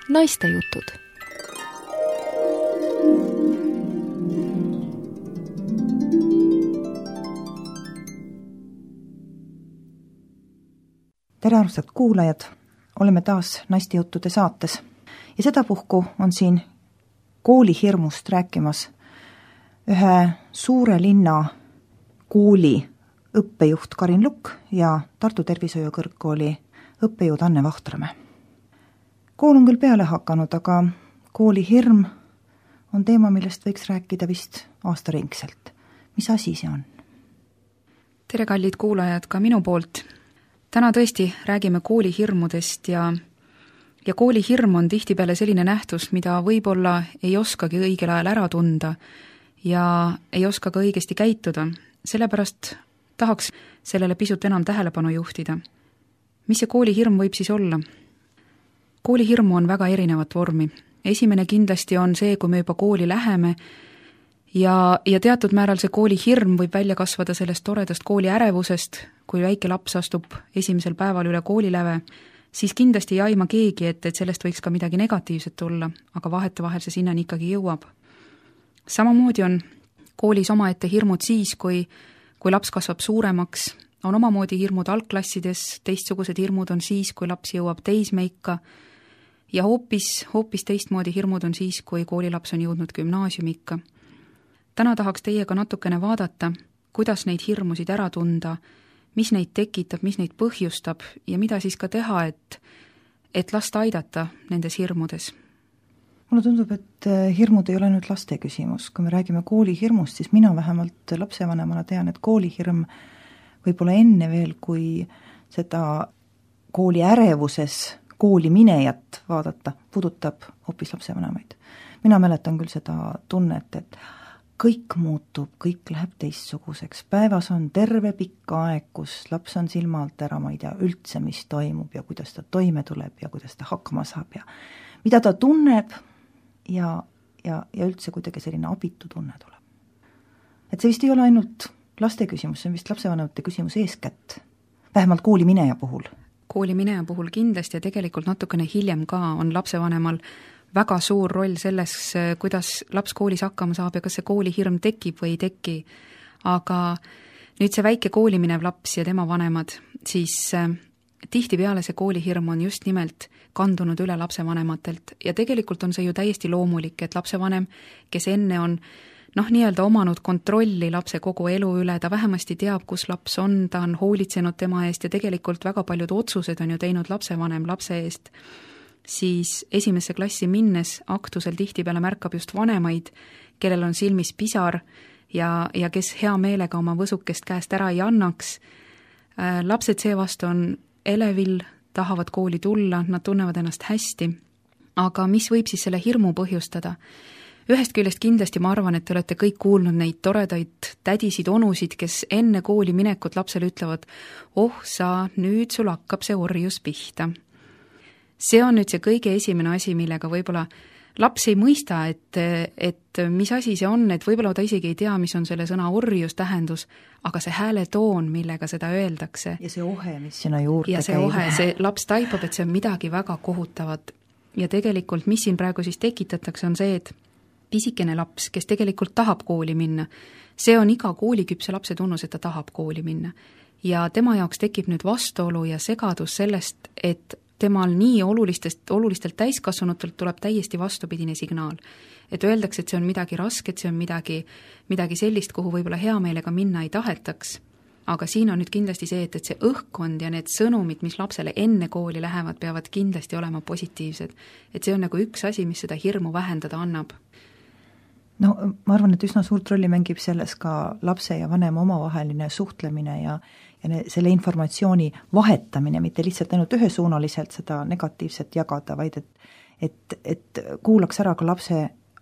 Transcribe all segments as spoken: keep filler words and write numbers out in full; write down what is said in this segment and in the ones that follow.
Naistejutud. Tere armsad kuulajad, oleme taas Naistejuttude saates ja sedapuhku on siin koolihirmust rääkimas ühe suure linna kooli õppejuht Karin Lukk ja Tartu Tervishoiukõrgkooli õppejõud Anne Vahtramäe. Kool on küll peale hakanud, aga koolihirm on teema, millest võiks rääkida vist aastaringselt. Mis asi see on? Tere kallid kuulajad ka minu poolt. Täna tõesti räägime koolihirmudest ja, ja koolihirm on tihtipeale selline nähtus, mida võib-olla ei oskagi õigel ajal ära tunda ja ei oska ka õigesti käituda. Sellepärast tahaks sellele pisut enam tähelepanu juhtida. Mis see koolihirm võib siis olla? Koolihirmu on väga erinevat vormi. Esimene kindlasti on see, kui me juba kooli läheme ja, ja teatud määral see koolihirm võib välja kasvada sellest toredast kooli ärevusest, kui väike laps astub esimesel päeval üle kooliläve, siis kindlasti ei aima keegi, et, et sellest võiks ka midagi negatiivset tulla, aga vahetevahel see sinnani ikkagi jõuab. Samamoodi on koolis omaette hirmud siis, kui, kui laps kasvab suuremaks, on omamoodi hirmud algklassides, teistsugused hirmud on siis, kui laps jõuab teismeikka ja hoopis, hoopis teistmoodi hirmud on siis, kui koolilaps on jõudnud gümnaasiumikka. Täna tahaks teiega natukene vaadata, kuidas neid hirmusid ära tunda, mis neid tekitab, mis neid põhjustab ja mida siis ka teha, et, et lasta aidata nendes hirmudes. Mulle tundub, et hirmud ei ole nüüd laste küsimus. Kui me räägime koolihirmust, siis mina vähemalt lapsevanemana tean, et koolihirm võib-olla enne veel, kui seda kooli ärevuses kooli minejat vaadata, puudutab hoopis lapsevanemaid. Mina mäletan küll seda tunnet, et kõik muutub, kõik läheb teistsuguseks. Päevas on terve pikk aeg, kus laps on silma alt ära, ma ei tea üldse, mis toimub ja kuidas ta toime tuleb ja kuidas ta hakkama saab ja mida ta tunneb ja, ja, ja üldse kuidagi selline abitu tunne tuleb. Et see vist ei ole ainult laste küsimus, see on vist lapsevanemate küsimus eeskätt, vähemalt kooli mineja puhul. Kooli mineja puhul kindlasti ja tegelikult natukene hiljem ka on lapsevanemal väga suur roll selles, kuidas laps koolis hakkama saab ja kas see koolihirm tekib või ei teki. Aga nüüd see väike kooli minev laps ja tema vanemad, siis tihtipeale see koolihirm on just nimelt kandunud üle lapsevanematelt ja tegelikult on see ju täiesti loomulik, et lapsevanem, kes enne on noh, nii-öelda omanud kontrolli lapse kogu elu üle, ta vähemasti teab, kus laps on, ta on hoolitsenud tema eest ja tegelikult väga paljud otsused on ju teinud lapsevanem lapse eest, siis esimesse klassi minnes aktusel tihtipeale märkab just vanemaid, kellel on silmis pisar ja, ja kes hea meelega oma võsukest käest ära ei annaks. Lapsed seevastu on elevil, tahavad kooli tulla, nad tunnevad ennast hästi, aga mis võib siis selle hirmu põhjustada? Ühest küljest kindlasti ma arvan, et te olete kõik kuulnud neid toredaid tädisid, onusid, kes enne kooli minekut lapsele ütlevad, oh sa, nüüd sul hakkab see orjus pihta. See on nüüd see kõige esimene asi, millega võib-olla laps ei mõista, et, et mis asi see on, et võib-olla ta isegi ei tea, mis on selle sõna orjus tähendus, aga see hääletoon, millega seda öeldakse. Ja see ohe, mis sinna juurde ja see käib. Ohe, see laps taipab, et see on midagi väga kohutavat. Ja tegelikult, mis siin praegu siis tekitatakse, on see, et pisikene laps, kes tegelikult tahab kooli minna, see on iga kooliküpse lapse tunnus, et ta tahab kooli minna. Ja tema jaoks tekib nüüd vastuolu ja segadus sellest, et temal nii olulistest, olulistelt täiskasvanutelt tuleb täiesti vastupidine signaal. Et öeldakse, et see on midagi rasket, see on midagi, midagi sellist, kuhu võib-olla hea meelega minna ei tahetaks. Aga siin on nüüd kindlasti see, et, et see õhkkond ja need sõnumid, mis lapsele enne kooli lähevad, peavad kindlasti olema positiivsed. Et see on nagu üks asi, mis seda hirmu vähendada annab. No ma arvan, et üsna suurt rolli mängib selles ka lapse ja vanema omavaheline suhtlemine ja, ja ne, selle informatsiooni vahetamine, mitte lihtsalt ainult ühesuunaliselt seda negatiivset jagada, vaid et, et, et kuulaks ära ka lapse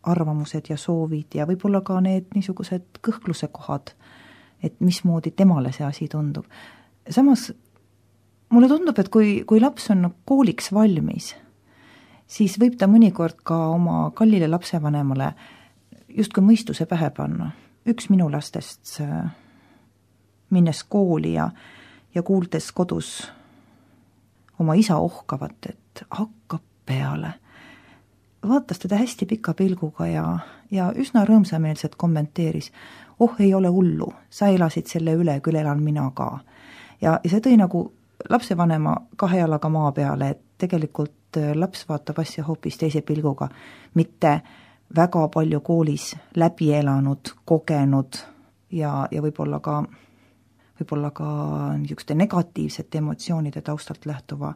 arvamused ja soovid ja võib-olla ka need niisugused kõhkluse kohad, et mismoodi temale see asi tundub. Samas mulle tundub, et kui, kui laps on kooliks valmis, siis võib ta mõnikord ka oma kallile lapsevanemale justkui mõistuse pähe panna. Üks minu lastest minnes kooli ja, ja kuuldes kodus oma isa ohkavat, et hakkab peale. vaatas teda hästi pika pilguga ja, ja üsna rõõmsameelselt kommenteeris, oh, ei ole hullu, sa elasid selle üle, küll elan mina ka. Ja, ja see tõi nagu lapsevanema kahe jalaga maa peale, et tegelikult laps vaatab asja hoopis teise pilguga, mitte väga palju koolis läbi elanud, kogenud ja, ja võib-olla ka, võib-olla ka niisuguste negatiivsete emotsioonide taustalt lähtuva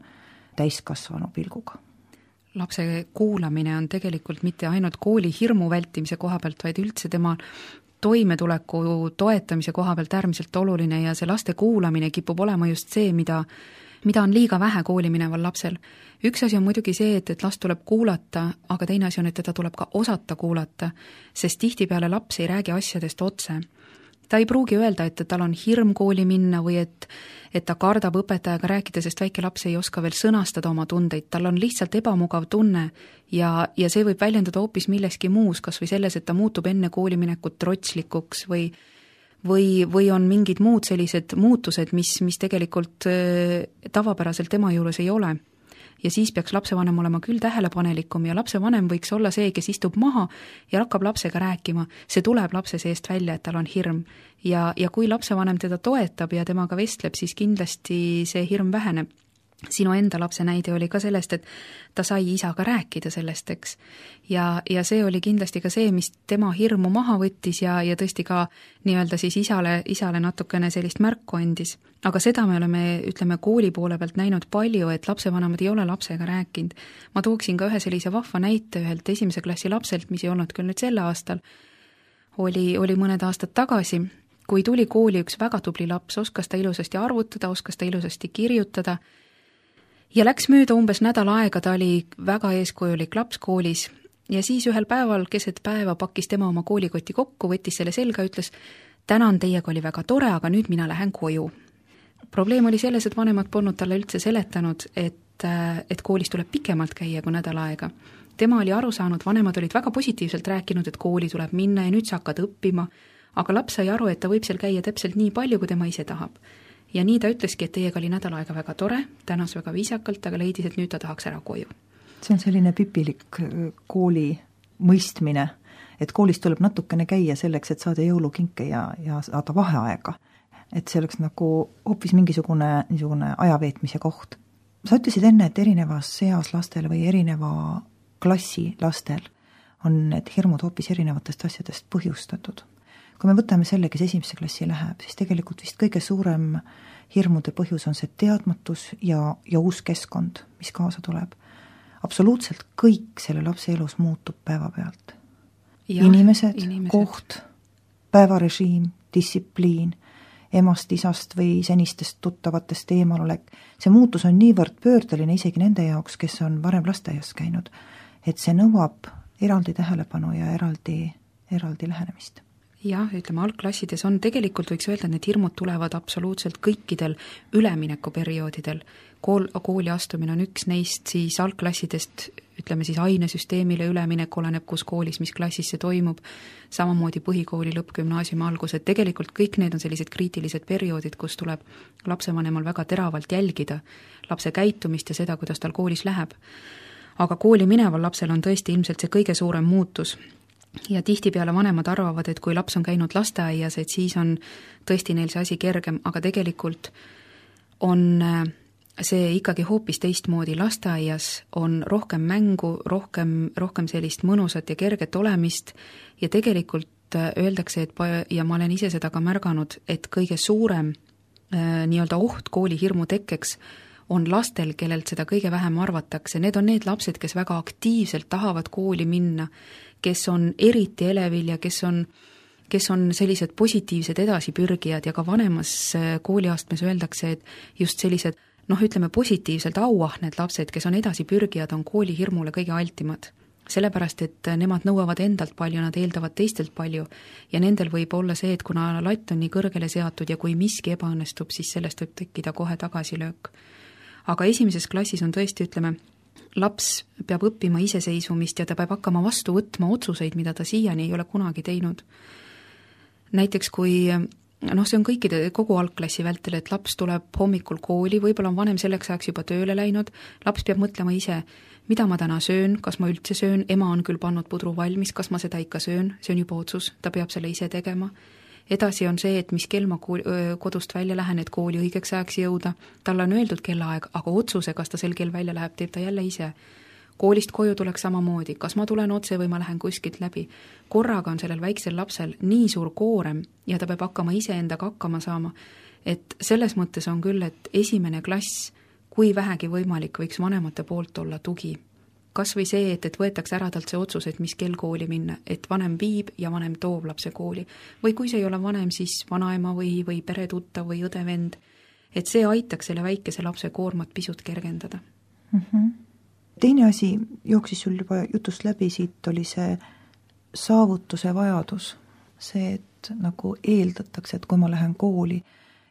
täiskasvanu pilguga. Lapse kuulamine on tegelikult mitte ainult kooli hirmu vältimise koha pealt, vaid üldse tema toimetuleku toetamise koha pealt äärmiselt oluline ja see laste kuulamine kipub olema just see, mida, mida on liiga vähe kooli mineval lapsel. Üks asi on muidugi see, et, et last tuleb kuulata, aga teine asi on, et teda tuleb ka osata kuulata, sest tihtipeale laps ei räägi asjadest otse. Ta ei pruugi öelda, et tal on hirm kooli minna või et, et ta kardab õpetajaga rääkida, sest väike laps ei oska veel sõnastada oma tundeid. Tal on lihtsalt ebamugav tunne ja, ja see võib väljendada hoopis milleski muus, kas või selles, et ta muutub enne kooliminekut trotslikuks või, või, või on mingid muud sellised muutused, mis, mis tegelikult äh, tavapäraselt tema juures ei ole. Ja siis peaks lapsevanem olema küll tähelepanelikum ja lapsevanem võiks olla see, kes istub maha ja hakkab lapsega rääkima. See tuleb lapse seest välja, et tal on hirm. Ja, ja kui lapsevanem teda toetab ja temaga vestleb, siis kindlasti see hirm väheneb. Sinu enda lapse näide oli ka sellest, et ta sai isaga rääkida sellest, eks. Ja, ja see oli kindlasti ka see, mis tema hirmu maha võttis ja, ja tõesti ka nii-öelda siis isale, isale natukene sellist märku andis. Aga seda me oleme, ütleme, kooli poole pealt näinud palju, et lapsevanemad ei ole lapsega rääkinud. Ma tooksin ka ühe sellise vahva näite ühelt esimese klassi lapselt, mis ei olnud küll nüüd selle aastal, oli, oli mõned aastad tagasi, kui tuli kooli üks väga tubli laps, oskas ta ilusasti arvutada, oskas ta ilusasti kirjutada, ja läks mööda umbes nädal aega, ta oli väga eeskujulik laps koolis ja siis ühel päeval keset päeva pakkis tema oma koolikoti kokku, võttis selle selga, ütles, tänan, teiega oli väga tore, aga nüüd mina lähen koju. Probleem oli selles, et vanemad polnud talle üldse seletanud, et, et koolis tuleb pikemalt käia kui nädal aega. Tema oli aru saanud, vanemad olid väga positiivselt rääkinud, et kooli tuleb minna ja nüüd sa hakkad õppima, aga laps sai aru, et ta võib seal käia täpselt nii palju, kui tema ise tahab. Ja nii ta ütleski, et teiega oli nädal aega väga tore, tänas väga viisakalt, aga leidis, et nüüd ta tahaks ära koju. See on selline pipilik kooli mõistmine, et koolis tuleb natukene käia selleks, et saada jõulukinke ja, ja saada vaheaega. Et see oleks nagu hoopis mingisugune niisugune ajaveetmise koht. Sa ütlesid enne, et erinevas seas lastel või erineva klassi lastel on need hirmud hoopis erinevatest asjadest põhjustatud. Kui me võtame selle, kes esimese klassi läheb, siis tegelikult vist kõige suurem hirmude põhjus on see teadmatus ja, ja uus keskkond, mis kaasa tuleb. Absoluutselt kõik selle lapse elus muutub päeva pealt. Ja, inimesed, inimesed, koht, päevarežiim, distsipliin, emast, isast või senistest tuttavatest eemalolek. See muutus on niivõrd pöördeline isegi nende jaoks, kes on varem lasteaias käinud, et see nõuab eraldi tähelepanu ja eraldi, eraldi lähenemist. Jah, ütleme, algklassides on tegelikult, võiks öelda, et need hirmud tulevad absoluutselt kõikidel üleminekuperioodidel. Kool, kooli astumine on üks neist, siis algklassidest, ütleme siis ainesüsteemile üleminek oleneb, kus koolis, mis klassis see toimub, samamoodi põhikooli lõpp, gümnaasiumi algus, et tegelikult kõik need on sellised kriitilised perioodid, kus tuleb lapsevanemal väga teravalt jälgida lapse käitumist ja seda, kuidas tal koolis läheb. Aga kooli mineval lapsel on tõesti ilmselt see kõige suurem muutus. Ja tihtipeale vanemad arvavad, et kui laps on käinud lasteaias, et siis on tõesti neil see asi kergem, aga tegelikult on see ikkagi hoopis teistmoodi. Lasteaias on rohkem mängu, rohkem, rohkem sellist mõnusat ja kerget olemist ja tegelikult öeldakse, et ja ma olen ise seda ka märganud, et kõige suurem äh, nii-öelda oht kooli hirmu tekkeks on lastel, kellelt seda kõige vähem arvatakse. Need on need lapsed, kes väga aktiivselt tahavad kooli minna, kes on eriti elevil ja kes on, kes on sellised positiivsed edasipürgijad ja ka vanemas kooliastmes öeldakse, et just sellised, noh, ütleme positiivselt auahned lapsed, kes on edasipürgijad, on kooli hirmule kõige altimad. Sellepärast, et nemad nõuavad endalt palju, nad eeldavad teistelt palju ja nendel võib olla see, et kuna latt on nii kõrgele seatud ja kui miski ebaõnnestub, siis sellest võib tekkida kohe tagasilöök. Aga esimeses klassis on tõesti, ütleme, laps peab õppima iseseisvumist ja ta peab hakkama vastu võtma otsuseid, mida ta siiani ei ole kunagi teinud. Näiteks kui noh, see on kõikide, kogu algklassi vältel, et laps tuleb hommikul kooli, võib-olla on vanem selleks ajaks juba tööle läinud, laps peab mõtlema ise, mida ma täna söön, kas ma üldse söön, ema on küll pannud pudru valmis, kas ma seda ikka söön, see on juba otsus, ta peab selle ise tegema. Edasi on see, et mis kell ma kooli, kodust välja lähen, et kooli õigeks ajaks jõuda, talle on öeldud kellaaeg, aga otsuse, kas ta sel kell välja läheb, teeb ta jälle ise. Koolist koju tuleks samamoodi, kas ma tulen otse või ma lähen kuskilt läbi. Korraga on sellel väiksel lapsel nii suur koorem ja ta peab hakkama ise endaga hakkama saama, et selles mõttes on küll, et esimene klass, kui vähegi võimalik, võiks vanemate poolt olla tugi. Kas või see, et, et võetakse ära talt see otsus, et mis kell kooli minna, et vanem viib ja vanem toob lapse kooli. Või kui see ei ole vanem, siis vanaema või, või peretuttav või õde-vend. Et see aitaks selle väikese lapse koormat pisut kergendada. Mm-hmm. Teine asi jooksis sul juba jutust läbi, siit oli see saavutuse vajadus. See, et nagu eeldatakse, et kui ma lähen kooli,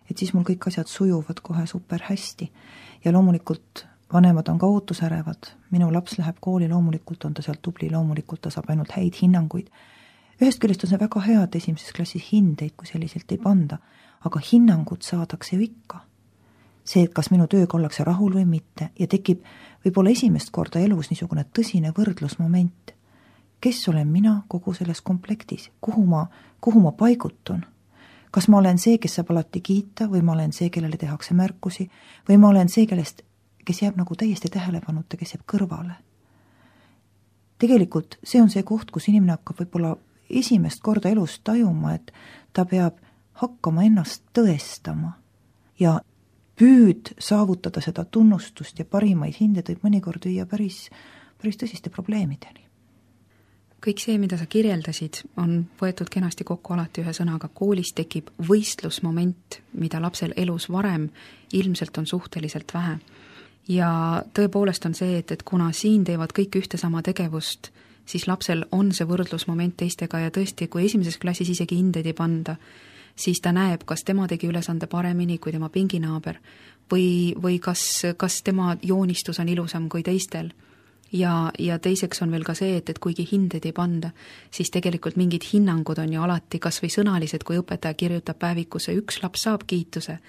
et siis mul kõik asjad sujuvad kohe super hästi. Ja loomulikult vanemad on ka ootusärevad, minu laps läheb kooli, loomulikult on ta sealt tubli, loomulikult ta saab ainult häid hinnanguid. Ühest küljest on see väga hea, et esimeses klassis hindeid, kui selliselt ei panda, aga hinnangud saadakse ju ikka. See, et kas minu tööga ollakse rahul või mitte ja tekib võib-olla esimest korda elus niisugune tõsine võrdlusmoment. Kes olen mina kogu selles komplektis? Kuhu ma, kuhu ma paigutun? Kas ma olen see, kes saab alati kiita või ma olen see, kellele tehakse märkusi või ma olen see, kellest kes jääb nagu täiesti tähelepanuta, kes jääb kõrvale. Tegelikult see on see koht, kus inimene hakkab võib-olla esimest korda elus tajuma, et ta peab hakkama ennast tõestama ja püüd saavutada seda tunnustust ja parimaid hindeid võib mõnikord viia päris, päris tõsiste probleemideni. Kõik see, mida sa kirjeldasid, on võetud kenasti kokku alati ühe sõnaga. Koolis tekib võistlusmoment, mida lapsel elus varem ilmselt on suhteliselt vähe. Ja tõepoolest on see, et, et kuna siin teevad kõik ühte sama tegevust, siis lapsel on see võrdlusmoment teistega ja tõesti, kui esimeses klassis isegi hindeid ei panda, siis ta näeb, kas tema tegi ülesande paremini kui tema pinginaaber või, või kas, kas tema joonistus on ilusam kui teistel. Ja, ja teiseks on veel ka see, et, et kuigi hindeid ei panda, siis tegelikult mingid hinnangud on ju alati kas või sõnalised, kui õpetaja kirjutab päevikusse, üks laps saab kiituse,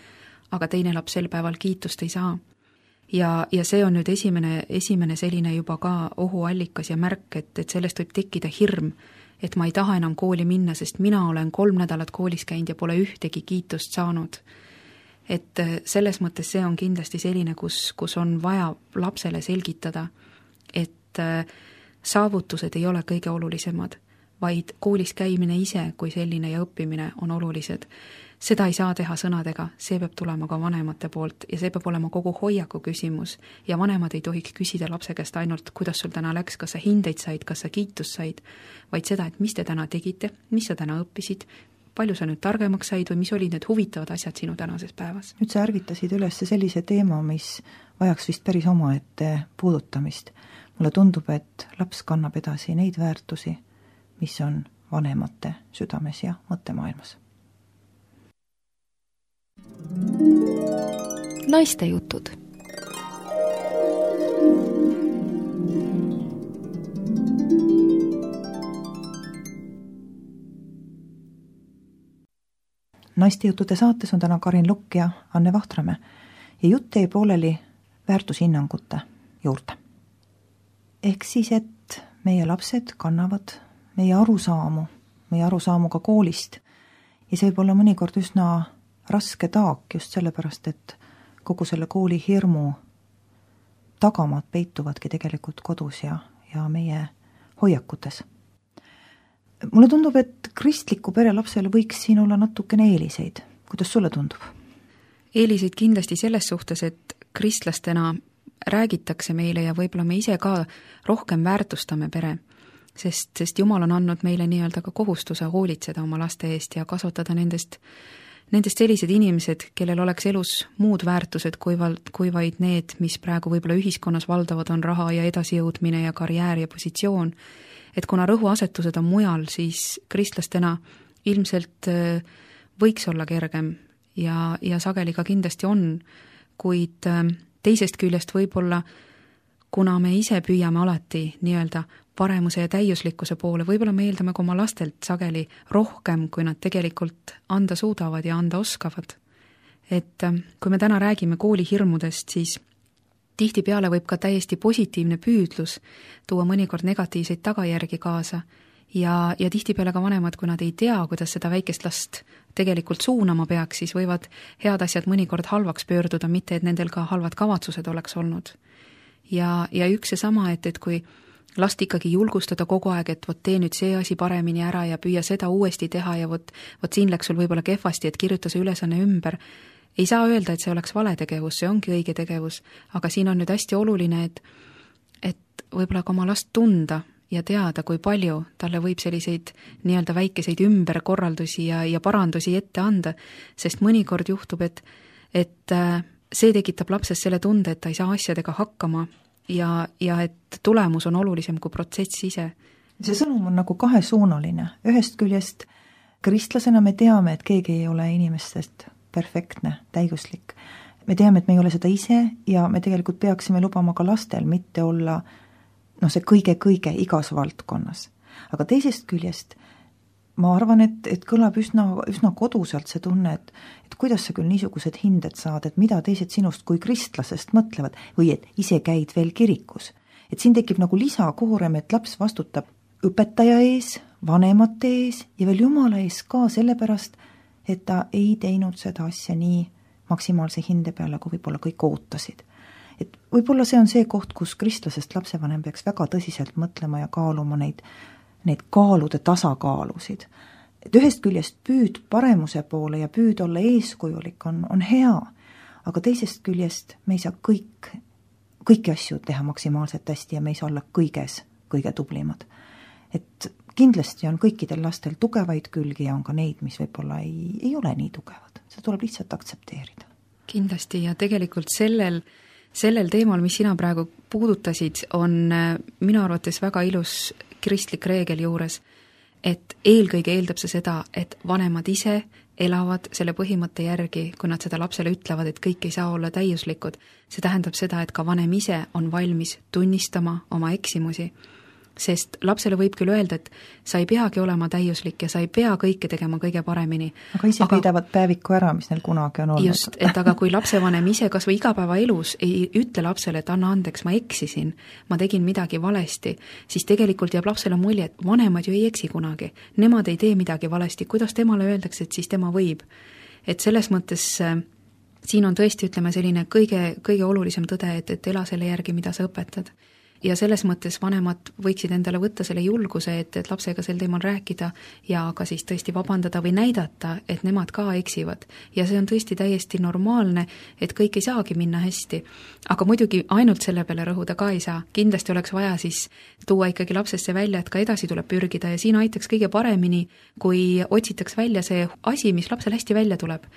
aga teine laps sel päeval kiitust ei saa. Ja, ja see on nüüd esimene, esimene selline juba ka ohuallikas ja märk, et, et sellest võib tekkida hirm, et ma ei taha enam kooli minna, sest mina olen kolm nädalat koolis käinud ja pole ühtegi kiitust saanud. Et selles mõttes see on kindlasti selline, kus, kus on vaja lapsele selgitada, et saavutused ei ole kõige olulisemad, vaid koolis käimine ise kui selline ja õppimine on olulised. Seda ei saa teha sõnadega, see peab tulema ka vanemate poolt ja see peab olema kogu hoiaku küsimus ja vanemad ei tohiks küsida lapse käest ainult, kuidas sul täna läks, kas sa hindeid said, kas sa kiitust said, vaid seda, et mis te täna tegite, mis sa täna õppisid, palju sa nüüd targemaks said või mis olid need huvitavad asjad sinu tänases päevas. Nüüd sa ärvitasid üles sellise teema, mis vajaks vist päris omaette puudutamist. Mulle tundub, et laps kannab edasi neid väärtusi, mis on vanemate südames ja mõttemaailmas. Naiste jutud. Naiste jutude saates on täna Karin Lukk ja Anne Vahtramäe ja jutt jäi pooleli väärtushinnangute juurde. Ehk siis, et meie lapsed kannavad meie arusaamu, meie arusaamu ka koolist ja see võib olla mõnikord üsna raske taak just sellepärast, et kogu selle kooli hirmu tagamad peituvadki tegelikult kodus ja, ja meie hoiakutes. Mulle tundub, et kristliku pere lapsele võiks siin olla natukene eeliseid. Kuidas sulle tundub? Eeliseid kindlasti selles suhtes, et kristlastena räägitakse meile ja võib-olla me ise ka rohkem väärtustame pere, sest, sest Jumal on andnud meile nii-öelda ka kohustuse hoolitseda oma laste eest ja kasvatada nendest Nendest sellised inimesed, kellel oleks elus muud väärtused kui, val, kui vaid need, mis praegu võib-olla ühiskonnas valdavad on raha ja edasijõudmine ja karjäär ja positsioon. Et kuna rõhuasetused on mujal, siis kristlastena ilmselt võiks olla kergem ja, ja sageli ka kindlasti on, kuid teisest küljest võib-olla kuna me ise püüame alati nii-öelda paremuse ja täiuslikkuse poole, võib-olla me eeldame ka oma lastelt sageli rohkem, kui nad tegelikult anda suudavad ja anda oskavad. Et kui me täna räägime koolihirmudest, siis tihtipeale võib ka täiesti positiivne püüdlus tuua mõnikord negatiivseid tagajärgi kaasa ja, ja tihtipeale ka vanemad, kui nad ei tea, kuidas seda väikest last tegelikult suunama peaks, siis võivad head asjad mõnikord halvaks pöörduda, mitte et nendel ka halvad kavatsused oleks olnud. Ja, ja üks seesama, et, et kui last ikkagi julgustada kogu aeg, et vot tee nüüd see asi paremini ära ja püüa seda uuesti teha ja vot, vot siin läks sul võib-olla kehvasti, et kirjuta see ülesanne ümber. Ei saa öelda, et see oleks vale tegevus, see ongi õige tegevus, aga siin on nüüd hästi oluline, et, et võib-olla ka oma last tunda ja teada, kui palju talle võib selliseid nii-öelda väikeseid ümberkorraldusi ja, ja parandusi ette anda, sest mõnikord juhtub, et, et see tekitab lapses selle tunde, et ta ei saa asjadega hakkama ja, ja et tulemus on olulisem kui protsess ise. See sõnum on nagu kahesuunaline. Ühest küljest kristlasena me teame, et keegi ei ole inimestest perfektne, täiuslik. Me teame, et me ei ole seda ise ja me tegelikult peaksime lubama ka lastel mitte olla no see kõige-kõige igas valdkonnas. Aga teisest küljest ma arvan, et, et kõlab üsna, üsna koduselt see tunne, et, et kuidas sa küll niisugused hinded saad, et mida teised sinust kui kristlasest mõtlevad või et ise käid veel kirikus. Et siin tekib nagu lisakoorem, et laps vastutab õpetaja ees, vanemate ees ja veel Jumala ees ka sellepärast, et ta ei teinud seda asja nii maksimaalse hinde peale, kui võib-olla kõik ootasid. Et võib-olla see on see koht, kus kristlasest lapsevanem peaks väga tõsiselt mõtlema ja kaaluma neid, neid kaalude tasakaalusid. Et ühest küljest püüd paremuse poole ja püüd olla eeskujulik on, on hea, aga teisest küljest me ei saa kõik, kõiki asju teha maksimaalselt hästi ja me ei saa olla kõiges kõige tublimad. Et kindlasti on kõikidel lastel tugevaid külgi ja on ka neid, mis võib-olla ei, ei ole nii tugevad. See tuleb lihtsalt aktsepteerida. Kindlasti ja tegelikult sellel, sellel teemal, mis sina praegu puudutasid, on minu arvates väga ilus kristlik reegel juures, et eelkõige eeldab see seda, et vanemad ise elavad selle põhimõtte järgi, kui nad seda lapsele ütlevad, et kõik ei saa olla täiuslikud. See tähendab seda, et ka vanem ise on valmis tunnistama oma eksimusi. Sest lapsele võib küll öelda, et sa ei peagi olema täiuslik ja sa ei pea kõike tegema kõige paremini. Aga ise aga, peidavad päeviku ära, mis neil kunagi on olnud. Just, et aga kui lapsevanem ise kas või igapäeva elus ei ütle lapsele, et anna andeks, ma eksisin, ma tegin midagi valesti, siis tegelikult jääb lapsele mulje, et vanemad ju ei eksi kunagi. Nemad ei tee midagi valesti, kuidas temale öeldakse, et siis tema võib. Et selles mõttes siin on tõesti, ütleme, selline kõige, kõige olulisem tõde, et, et ela selle järgi, mida sa õpetad. Ja selles mõttes vanemad võiksid endale võtta selle julguse, et, et lapsega sel teemal rääkida ja ka siis tõesti vabandada või näidata, et nemad ka eksivad. Ja see on tõesti täiesti normaalne, et kõik ei saagi minna hästi. Aga muidugi ainult selle peale rõhuda ka ei saa. Kindlasti oleks vaja siis tuua ikkagi lapsesse välja, et ka edasi tuleb pürgida ja siin aitaks kõige paremini, kui otsitaks välja see asi, mis lapsel hästi välja tuleb.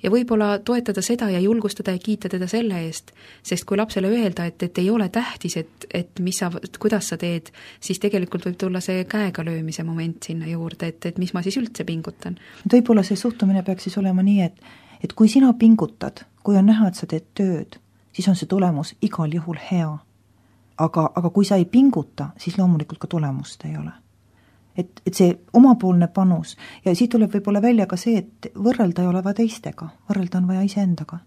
Ja võib-olla toetada seda ja julgustada ja kiita teda selle eest, sest kui lapsele öelda, et, et ei ole tähtis, et, et mis sa, kuidas sa teed, siis tegelikult võib tulla see käega löömise moment sinna juurde, et, et mis ma siis üldse pingutan. Võib-olla see suhtumine peaks siis olema nii, et, et kui sina pingutad, kui on näha, et sa teed tööd, siis on see tulemus igal juhul hea. Aga, aga kui sa ei pinguta, siis loomulikult ka tulemust ei ole. Et, et see omapoolne panus ja siit tuleb võib-olla välja ka see, et võrrelda ei ole vaja teistega, võrrelda on vaja iseendaga.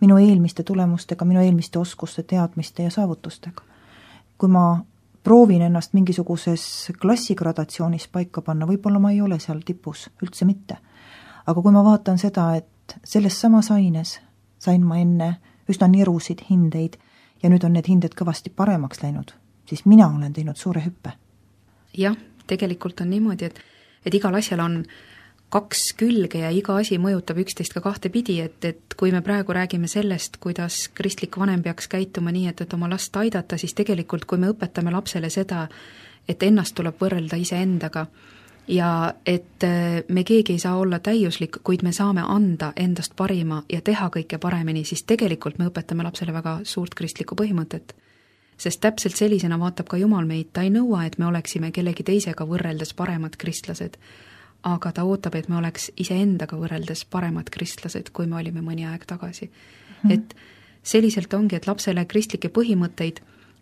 Minu eelmiste tulemustega, minu eelmiste oskuste, teadmiste ja saavutustega. Kui ma proovin ennast mingisuguses klassigradatsioonis paika panna, võib-olla ma ei ole seal tipus, üldse mitte. Aga kui ma vaatan seda, et selles samas aines sain ma enne üsna nirusid hindeid ja nüüd on need hinded kõvasti paremaks läinud, siis mina olen teinud suure hüppe. Jah, tegelikult on niimoodi, et, et igal asjal on kaks külge ja iga asi mõjutab üksteist ka kahte pidi, et, et kui me praegu räägime sellest, kuidas kristlik vanem peaks käituma nii, et, et oma last aidata, siis tegelikult kui me õpetame lapsele seda, et ennast tuleb võrrelda iseendaga ja et me keegi ei saa olla täiuslik, kuid me saame anda endast parima ja teha kõike paremini, siis tegelikult me õpetame lapsele väga suurt kristlikku põhimõtet. Sest täpselt sellisena vaatab ka Jumal meid, ta ei nõua, et me oleksime kellegi teisega võrreldes paremad kristlased, aga ta ootab, et me oleks iseendaga võrreldes paremad kristlased, kui me olime mõni aeg tagasi. Mm. Et selliselt ongi, et lapsele kristlikke põhimõtteid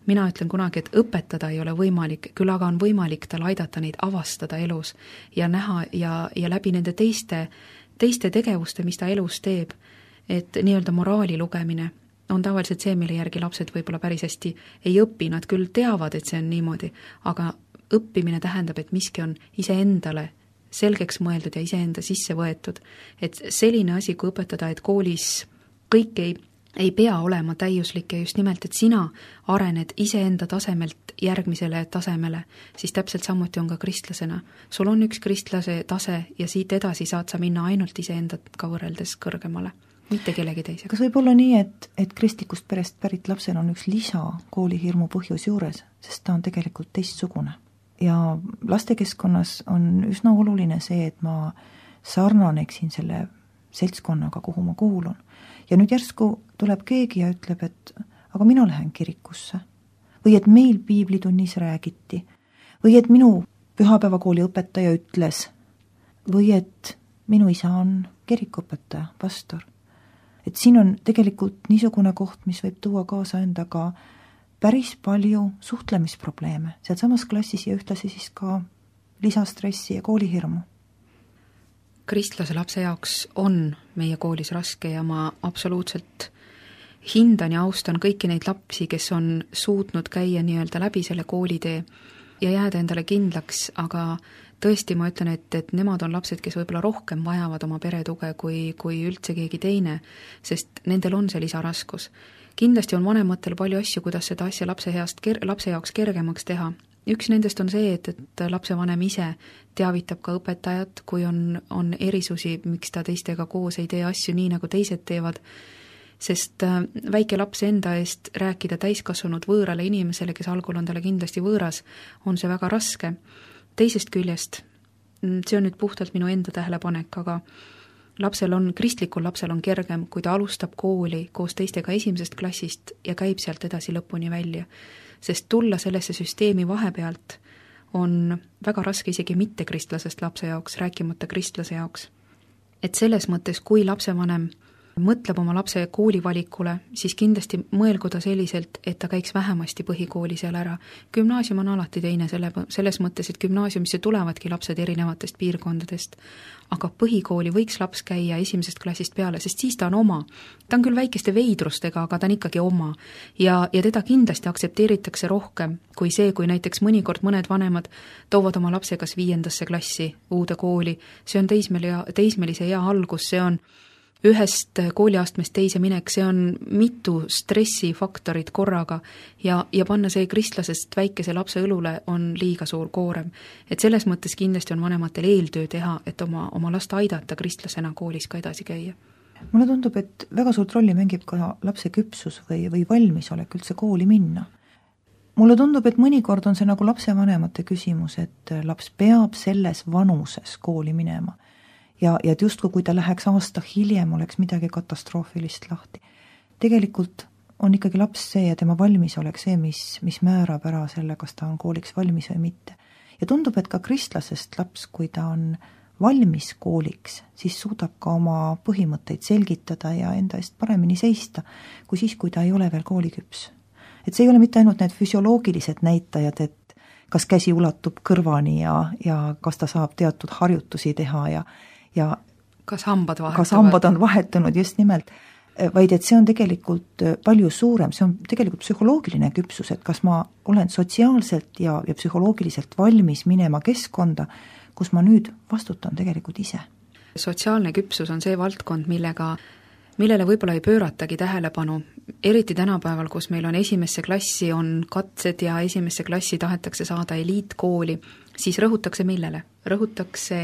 mina ütlen kunagi, et õpetada ei ole võimalik, küll aga on võimalik tal aidata neid avastada elus ja näha ja, ja läbi nende teiste, teiste tegevuste, mis ta elus teeb, et nii-öelda moraali lugemine on tavaliselt see, mille järgi lapsed võib-olla päris hästi ei õpi, nad küll teavad, et see on niimoodi, aga õppimine tähendab, et miski on iseendale selgeks mõeldud ja iseenda sisse võetud. Et selline asi, kui õpetada, et koolis kõik ei ei pea olema täiuslik ja just nimelt, et sina arened iseenda tasemelt järgmisele tasemele, siis täpselt samuti on ka kristlasena. Sul on üks kristlase tase ja siit edasi saad sa minna ainult iseendaga võrreldes kõrgemale, mitte kellegi teisega. Kas võib olla nii, et, et kristlikust perest pärit lapsel on üks lisa koolihirmu põhjus juures, sest ta on tegelikult teistsugune? Ja lastekeskkonnas on üsna oluline see, et ma sarnaneksin selle seltskonnaga, kuhu ma kuulun. Ja nüüd järsku tuleb keegi ja ütleb, et aga mina lähen kirikusse. Või et meil piiblitunnis räägiti. Või et minu pühapäevakooli õpetaja ütles. Või et minu isa on kirikuõpetaja, pastor. Et siin on tegelikult niisugune koht, mis võib tuua kaasa endaga päris palju suhtlemisprobleeme. Sealt samas klassis ja ühtlasi siis ka lisastressi ja koolihirmu. Kristlase lapse jaoks on meie koolis raske ja ma absoluutselt hindan ja austan kõiki neid lapsi, kes on suutnud käia nii-öelda läbi selle koolitee ja jääda endale kindlaks, aga tõesti ma ütlen, et, et nemad on lapsed, kes võib-olla rohkem vajavad oma peretuge kui, kui üldse keegi teine, sest nendel on see lisaraskus. Kindlasti on vanematel palju asju, kuidas seda asja lapse, heast, lapse jaoks kergemaks teha. Üks nendest on see, et, et lapsevanem ise teavitab ka õpetajat, kui on, on erisusi, miks ta teistega koos ei tee asju nii, nagu teised teevad, sest väike laps enda eest rääkida täiskasvanud võõrale inimesele, kes algul on talle kindlasti võõras, on see väga raske. Teisest küljest, see on nüüd puhtalt minu enda tähelepanek, aga lapsel on, kristlikul lapsel on kergem, kui ta alustab kooli koos teistega esimesest klassist ja käib sealt edasi lõpuni välja. Sest tulla sellesse süsteemi vahepealt on väga raske isegi mitte kristlasest lapse jaoks, rääkimata kristlase jaoks. Et selles mõttes, kui lapsevanem mõtleb oma lapse koolivalikule, siis kindlasti mõelgu ta selliselt, et ta käiks vähemasti põhikooli seal ära. Gümnaasium on alati teine selle, selles mõttes, et gümnaasiumisse tulevadki lapsed erinevatest piirkondadest, aga põhikooli võiks laps käia esimesest klassist peale, sest siis ta on oma. Ta on küll väikeste veidrustega, aga ta on ikkagi oma. Ja, ja teda kindlasti aksepteeritakse rohkem kui see, kui näiteks mõnikord mõned vanemad toovad oma lapse kas viiendasse klassi uude kooli. See on teismeli, teismelise hea algus, see on ühest kooliastmest teise minek, see on mitu stressifaktorit korraga ja, ja panna see kristlasest väikese lapse õlule on liiga suur koorem. Et selles mõttes kindlasti on vanematel eeltöö teha, et oma, oma last aidata kristlasena koolis ka edasi käia. Mulle tundub, et väga suurt rolli mängib ka lapse küpsus või, või valmisolek üldse kooli minna. Mulle tundub, et mõnikord on see nagu lapsevanemate küsimus, et laps peab selles vanuses kooli minema. Ja, ja et justkui kui ta läheks aasta hiljem, oleks midagi katastroofilist lahti. Tegelikult on ikkagi laps see ja tema valmis oleks see, mis, mis määrab ära selle, kas ta on kooliks valmis või mitte. Ja tundub, et ka kristlasest laps, kui ta on valmis kooliks, siis suudab ka oma põhimõtteid selgitada ja enda eest paremini seista, kui siis, kui ta ei ole veel kooliküps. Et see ei ole mitte ainult need füsioloogilised näitajad, et kas käsi ulatub kõrvani ja, ja kas ta saab teatud harjutusi teha ja ja kas hambad vahetuvad? Kas hambad on vahetunud, just nimelt, vaid et see on tegelikult palju suurem, see on tegelikult psühholoogiline küpsus, et kas ma olen sotsiaalselt ja, ja psühholoogiliselt valmis minema keskkonda, kus ma nüüd vastutan tegelikult ise. Sotsiaalne küpsus on see valdkond, millega, millele võib-olla ei pööratagi tähelepanu, eriti tänapäeval, kus meil on esimesse klassi on katsed ja esimesse klassi tahetakse saada eliitkooli, siis rõhutakse millele? Rõhutakse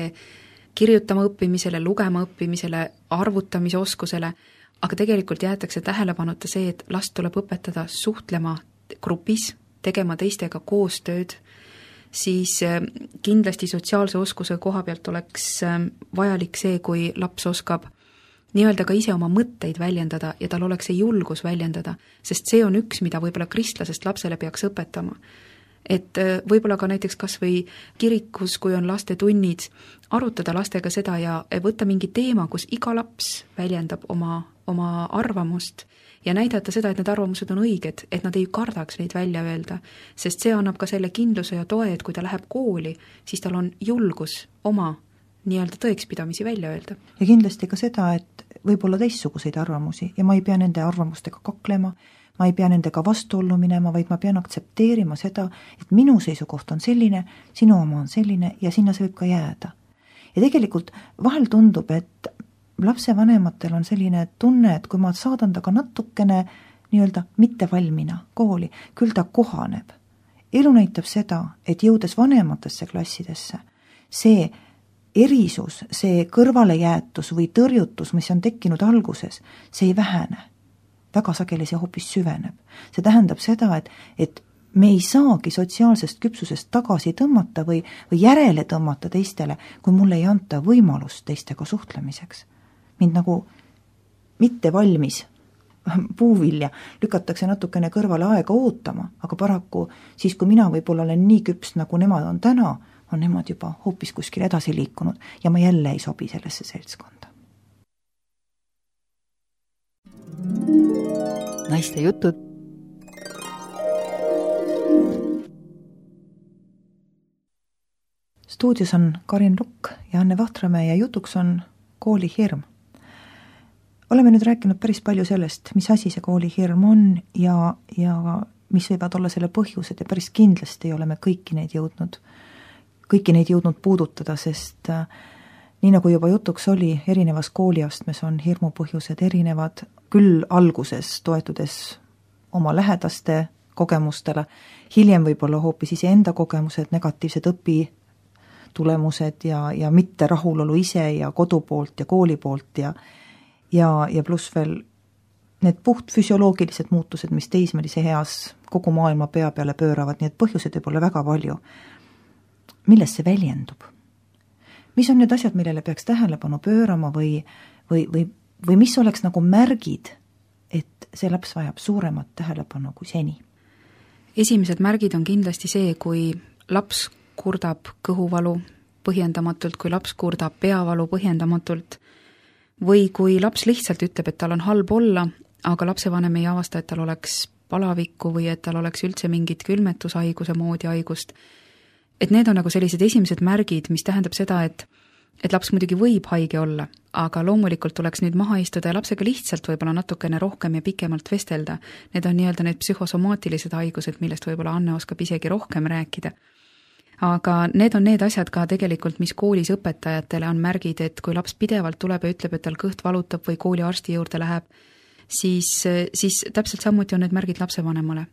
kirjutama õppimisele, lugema õppimisele, arvutamise oskusele, aga tegelikult jäetakse tähelepanuta see, et last tuleb õpetada suhtlema grupis, tegema teistega koostööd, siis kindlasti sotsiaalse oskuse koha pealt oleks vajalik see, kui laps oskab nii-öelda ka ise oma mõtteid väljendada ja tal oleks see julgus väljendada, sest see on üks, mida võib-olla kristlasest lapsele peaks õpetama. Et võib-olla ka näiteks kas või kirikus, kui on laste tunnid, arutada lastega seda ja võtta mingi teema, kus iga laps väljendab oma oma arvamust ja näidata seda, et need arvamused on õiged, et nad ei kardaks neid välja öelda, sest see annab ka selle kindluse ja toe, et kui ta läheb kooli, siis tal on julgus oma nii-öelda tõekspidamisi välja öelda. Ja kindlasti ka seda, et võib olla teistsuguseid arvamusi ja ma ei pea nende arvamustega kaklema, ma ei pea nendega vastuollu minema, vaid ma pean aktsepteerima seda, et minu seisukoht on selline, sinu oma on selline ja sinna see võib ka jääda. Ja tegelikult vahel tundub, et lapsevanematel on selline tunne, et kui ma saadan ta ka natukene nii-öelda mittevalmina kooli, küll ta kohaneb. Elu näitab seda, et jõudes vanematesse klassidesse, see erisus, see kõrvalejäätus või tõrjutus, mis on tekkinud alguses, see ei vähene. Väga sageli see hoopis süveneb. See tähendab seda, et, et me ei saagi sotsiaalsest küpsusest tagasi tõmmata või, või järele tõmmata teistele, kui mulle ei anta võimalust teistega suhtlemiseks. Mind nagu mitte valmis puuvilja lükatakse natukene kõrvale aega ootama, aga paraku siis, kui mina võib-olla olen nii küps, nagu nemad on täna, on nemad juba hoopis kuskil edasi liikunud ja ma jälle ei sobi sellesse seltskonda. Naiste jutud. Stuudios on Karin Lukk ja Anne Vahtramäe ja jutuks on koolihirm. Oleme nüüd rääkinud päris palju sellest, mis asi see koolihirm on ja, ja mis võivad olla selle põhjused ja päris kindlasti oleme kõiki neid jõudnud, kõiki neid jõudnud puudutada, sest äh, nii nagu juba jutuks oli, erinevas kooliastmes on hirmu põhjused erinevad, küll alguses toetudes oma lähedaste kogemustele, hiljem võib-olla hoopis iseenda kogemused, negatiivsed õpitulemused ja, ja mitte rahulolu ise ja kodu poolt ja kooli poolt ja ja, ja pluss veel need puht füsioloogilised muutused, mis teismelise heas kogu maailma pea peale pööravad, nii et põhjused võib olla väga palju. Milles see väljendub? Mis on need asjad, millele peaks tähelepanu pöörama või, või, või, või mis oleks nagu märgid, et see laps vajab suuremat tähelepanu kui seni? Esimesed märgid on kindlasti see, kui laps kurdab kõhuvalu põhjendamatult, kui laps kurdab peavalu põhjendamatult, või kui laps lihtsalt ütleb, et tal on halb olla, aga lapsevanem ei avasta, et tal oleks palavikku või et tal oleks üldse mingit külmetushaiguse moodi haigust. Et need on nagu sellised esimesed märgid, mis tähendab seda, et, et laps muidugi võib haige olla, aga loomulikult tuleks nüüd maha istuda ja lapsega lihtsalt võib-olla natukene rohkem ja pikemalt vestelda. Need on nii-öelda need psühhosomaatilised haigused, millest võib-olla Anne oskab isegi rohkem rääkida. Aga need on need asjad ka tegelikult, mis koolis õpetajatele on märgid, et kui laps pidevalt tuleb ja ütleb, et tal kõht valutab või kooli arsti juurde läheb, siis, siis täpselt samuti on need märgid lapsevanemale.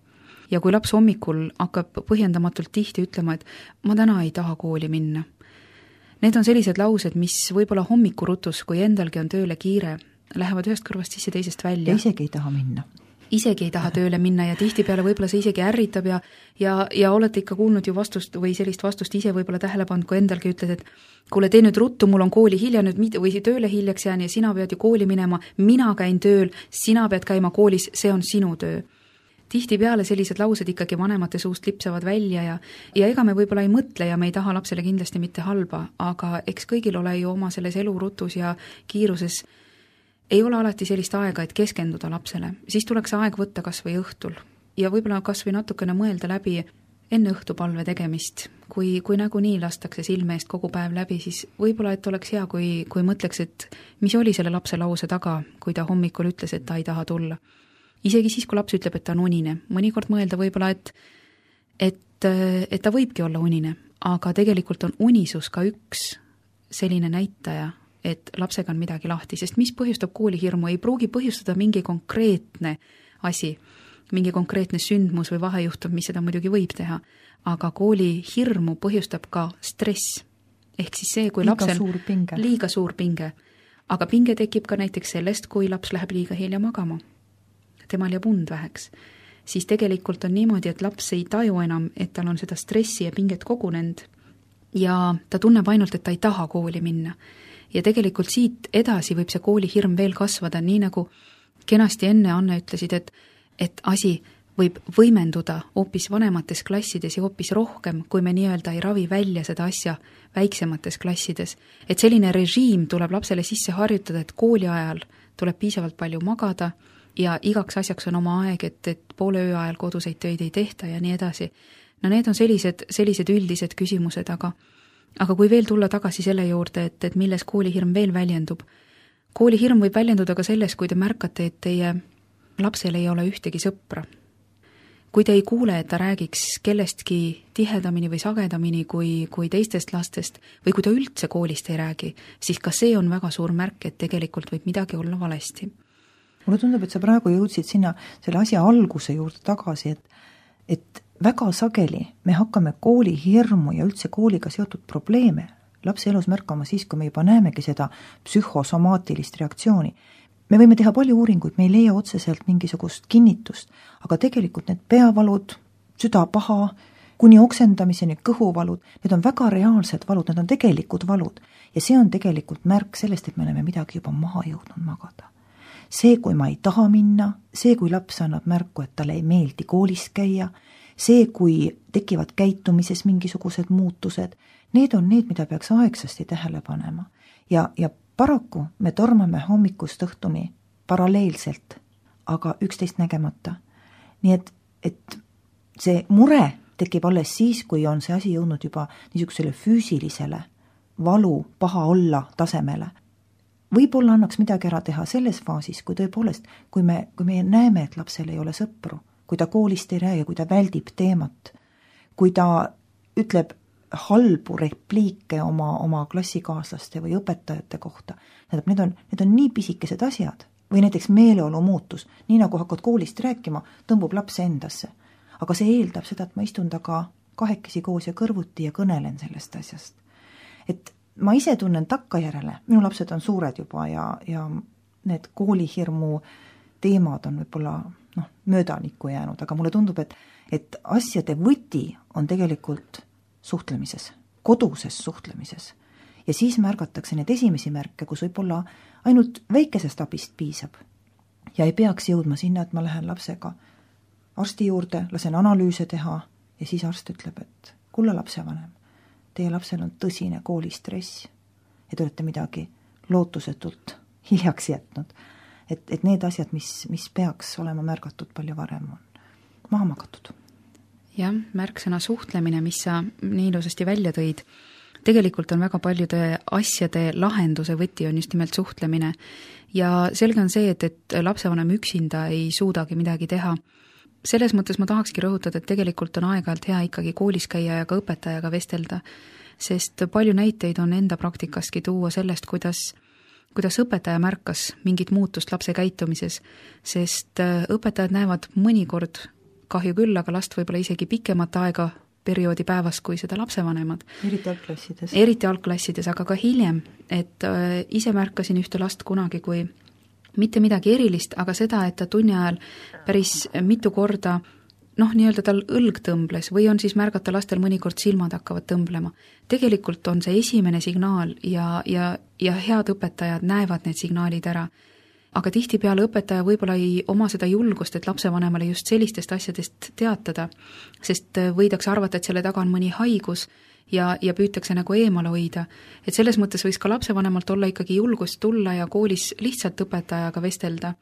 Ja kui laps hommikul hakkab põhjendamatult tihti ütlema, et ma täna ei taha kooli minna. Need on sellised laused, mis võib-olla hommikurutus, kui endalgi on tööle kiire, lähevad ühest kõrvast sisse teisest välja. Ja isegi ei taha minna. Isegi ei taha tööle minna ja tihtipeale võib-olla see isegi ärritab ja, ja, ja olete ikka kuulnud ju vastust või sellist vastust ise võib-olla tähele pannud, kui endalgi ütled, et kuule, tee nüüd ruttu, mul on kooli hilja nüüd või tööle hiljaks jään ja sina pead ju kooli minema, mina käin tööl, sina pead käima koolis, see on sinu töö. Tihtipeale sellised laused ikkagi vanemate suust lipsavad välja ja, ja ega me võib-olla ei mõtle ja me ei taha lapsele kindlasti mitte halba, aga eks kõigil ole ju oma selles elurutus ja kiiruses ei ole alati sellist aega, et keskenduda lapsele. Siis tuleks aeg võtta kas või õhtul ja võib-olla kas või natukene mõelda läbi enne õhtupalve tegemist. Kui, kui nagunii lastakse silme eest kogu päev läbi, siis võib-olla, et oleks hea, kui, kui mõtleks, et mis oli selle lapse lause taga, kui ta hommikul ütles, et ta ei taha tulla. Isegi siis, kui laps ütleb, et ta on unine. Mõnikord mõelda võib-olla, et, et, et ta võibki olla unine, aga tegelikult on unisus ka üks selline näitaja, et lapsega on midagi lahti, sest mis põhjustab koolihirmu, ei pruugi põhjustada mingi konkreetne asi, mingi konkreetne sündmus või vahejuhtum, mis seda muidugi võib teha, aga koolihirmu põhjustab ka stress. Ehk siis see, kui liiga lapsel suur pinge. liiga suur pinge, aga pinge tekib ka näiteks sellest, kui laps läheb liiga hilja magama, temal jääb und väheks, siis tegelikult on niimoodi, et laps ei taju enam, et tal on seda stressi ja pinget kogunenud ja ta tunneb ainult, et ta ei taha kooli minna. Ja tegelikult siit edasi võib see koolihirm veel kasvada, nii nagu kenasti enne Anne ütlesid, et, et asi võib võimenduda hoopis vanemates klassides ja hoopis rohkem, kui me nii-öelda ei ravi välja seda asja väiksemates klassides. Et selline režiim tuleb lapsele sisse harjutada, et kooli ajal tuleb piisavalt palju magada ja igaks asjaks on oma aeg, et, et poole öö ajal koduseid töid ei tehta ja nii edasi. No need on sellised, sellised üldised küsimused, aga, aga kui veel tulla tagasi selle juurde, et, et milles koolihirm veel väljendub, koolihirm võib väljenduda ka selles, kui te märkate, et teie lapsel ei ole ühtegi sõpra. Kui te ei kuule, et ta räägiks kellestki tihedamini või sagedamini kui, kui teistest lastest või kui ta üldse koolist ei räägi, siis ka see on väga suur märk, et tegelikult võib midagi olla valesti. Mulle tundub, et sa praegu jõudsid sinna selle asja alguse juurde tagasi, et, et väga sageli me hakkame koolihirmu ja üldse kooliga seotud probleeme lapse elus märkama siis, kui me juba näemegi seda psühhosomaatilist reaktsiooni. Me võime teha palju uuringuid, me ei leia otseselt mingisugust kinnitust, aga tegelikult need peavalud, südapaha, kuni oksendamiseni kõhuvalud, need on väga reaalsed valud, need on tegelikud valud ja see on tegelikult märk sellest, et me oleme midagi juba maha jõudnud magada. See, kui ma ei taha minna, see, kui laps annab märku, et talle ei meeldi koolis käia, see, kui tekivad käitumises mingisugused muutused, need on need, mida peaks aegsasti tähele panema ja, ja paraku me tormame hommikust õhtuni paralleelselt, aga üksteist nägemata. Nii et, et see mure tekib alles siis, kui on see asi jõudnud juba niisugusele füüsilisele valu, paha olla tasemele. Võib-olla annaks midagi ära teha selles faasis, kui tõepoolest, kui me, kui me näeme, et lapsel ei ole sõpru, kui ta koolist ei räägi, kui ta väldib teemat, kui ta ütleb halbu repliike oma, oma klassikaaslaste või õpetajate kohta. Need on, need on nii pisikesed asjad või näiteks meeleolu muutus, nii nagu hakkad koolist rääkima, tõmbub laps endasse. Aga see eeldab seda, et ma istun taga kahekesi koos ja kõrvuti ja kõnelen sellest asjast. Et ma ise tunnen takkajärele, minu lapsed on suured juba ja, ja need koolihirmu teemad on võib-olla noh, möödanikku jäänud, aga mulle tundub, et, et asjade võti on tegelikult suhtlemises, koduses suhtlemises. Ja siis märgatakse need esimesi märke, kus võib-olla ainult väikesest abist piisab. Ja ei peaks jõudma sinna, et ma lähen lapsega arsti juurde, lasen analüüse teha ja siis arst ütleb, et kulla lapsevanem, teie lapsel on tõsine koolistress ja te olete midagi lootusetult hiljaks jätnud. Et, et need asjad, mis, mis peaks olema märgatud palju varem, on maha magatud. Jah, märksõna suhtlemine, mis sa nii ilusasti välja tõid, tegelikult on väga paljude asjade lahenduse võti on just nimelt suhtlemine ja selge on see, et, et lapsevanem üksinda ei suudagi midagi teha. Selles mõttes ma tahakski rõhutada, et tegelikult on aeg-ajalt hea ikkagi koolis käia ja ka õpetajaga vestelda, sest palju näiteid on enda praktikaski tuua sellest, kuidas kuidas õpetaja märkas mingit muutust lapse käitumises, sest õpetajad näevad mõnikord kahju küll, aga last võib-olla isegi pikemat aega perioodi päevas kui seda lapsevanemad. Eriti algklassides. Eriti algklassides, aga ka hiljem, et ise märkasin ühte last kunagi kui mitte midagi erilist, aga seda, et ta tunni ajal päris mitu korda noh, nii-öelda tal õlg tõmbles või on siis märgata lastel mõnikord silmad hakkavad tõmblema. Tegelikult on see esimene signaal ja, ja, ja head õpetajad näevad need signaalid ära. Aga tihtipeale õpetaja võib-olla ei oma seda julgust, et lapsevanemale just sellistest asjadest teatada, sest võidakse arvata, et selle taga on mõni haigus ja, ja püütakse nagu eemale hoida. Et selles mõttes võiks ka lapsevanemalt olla ikkagi julgust tulla ja koolis lihtsalt õpetajaga vestelda.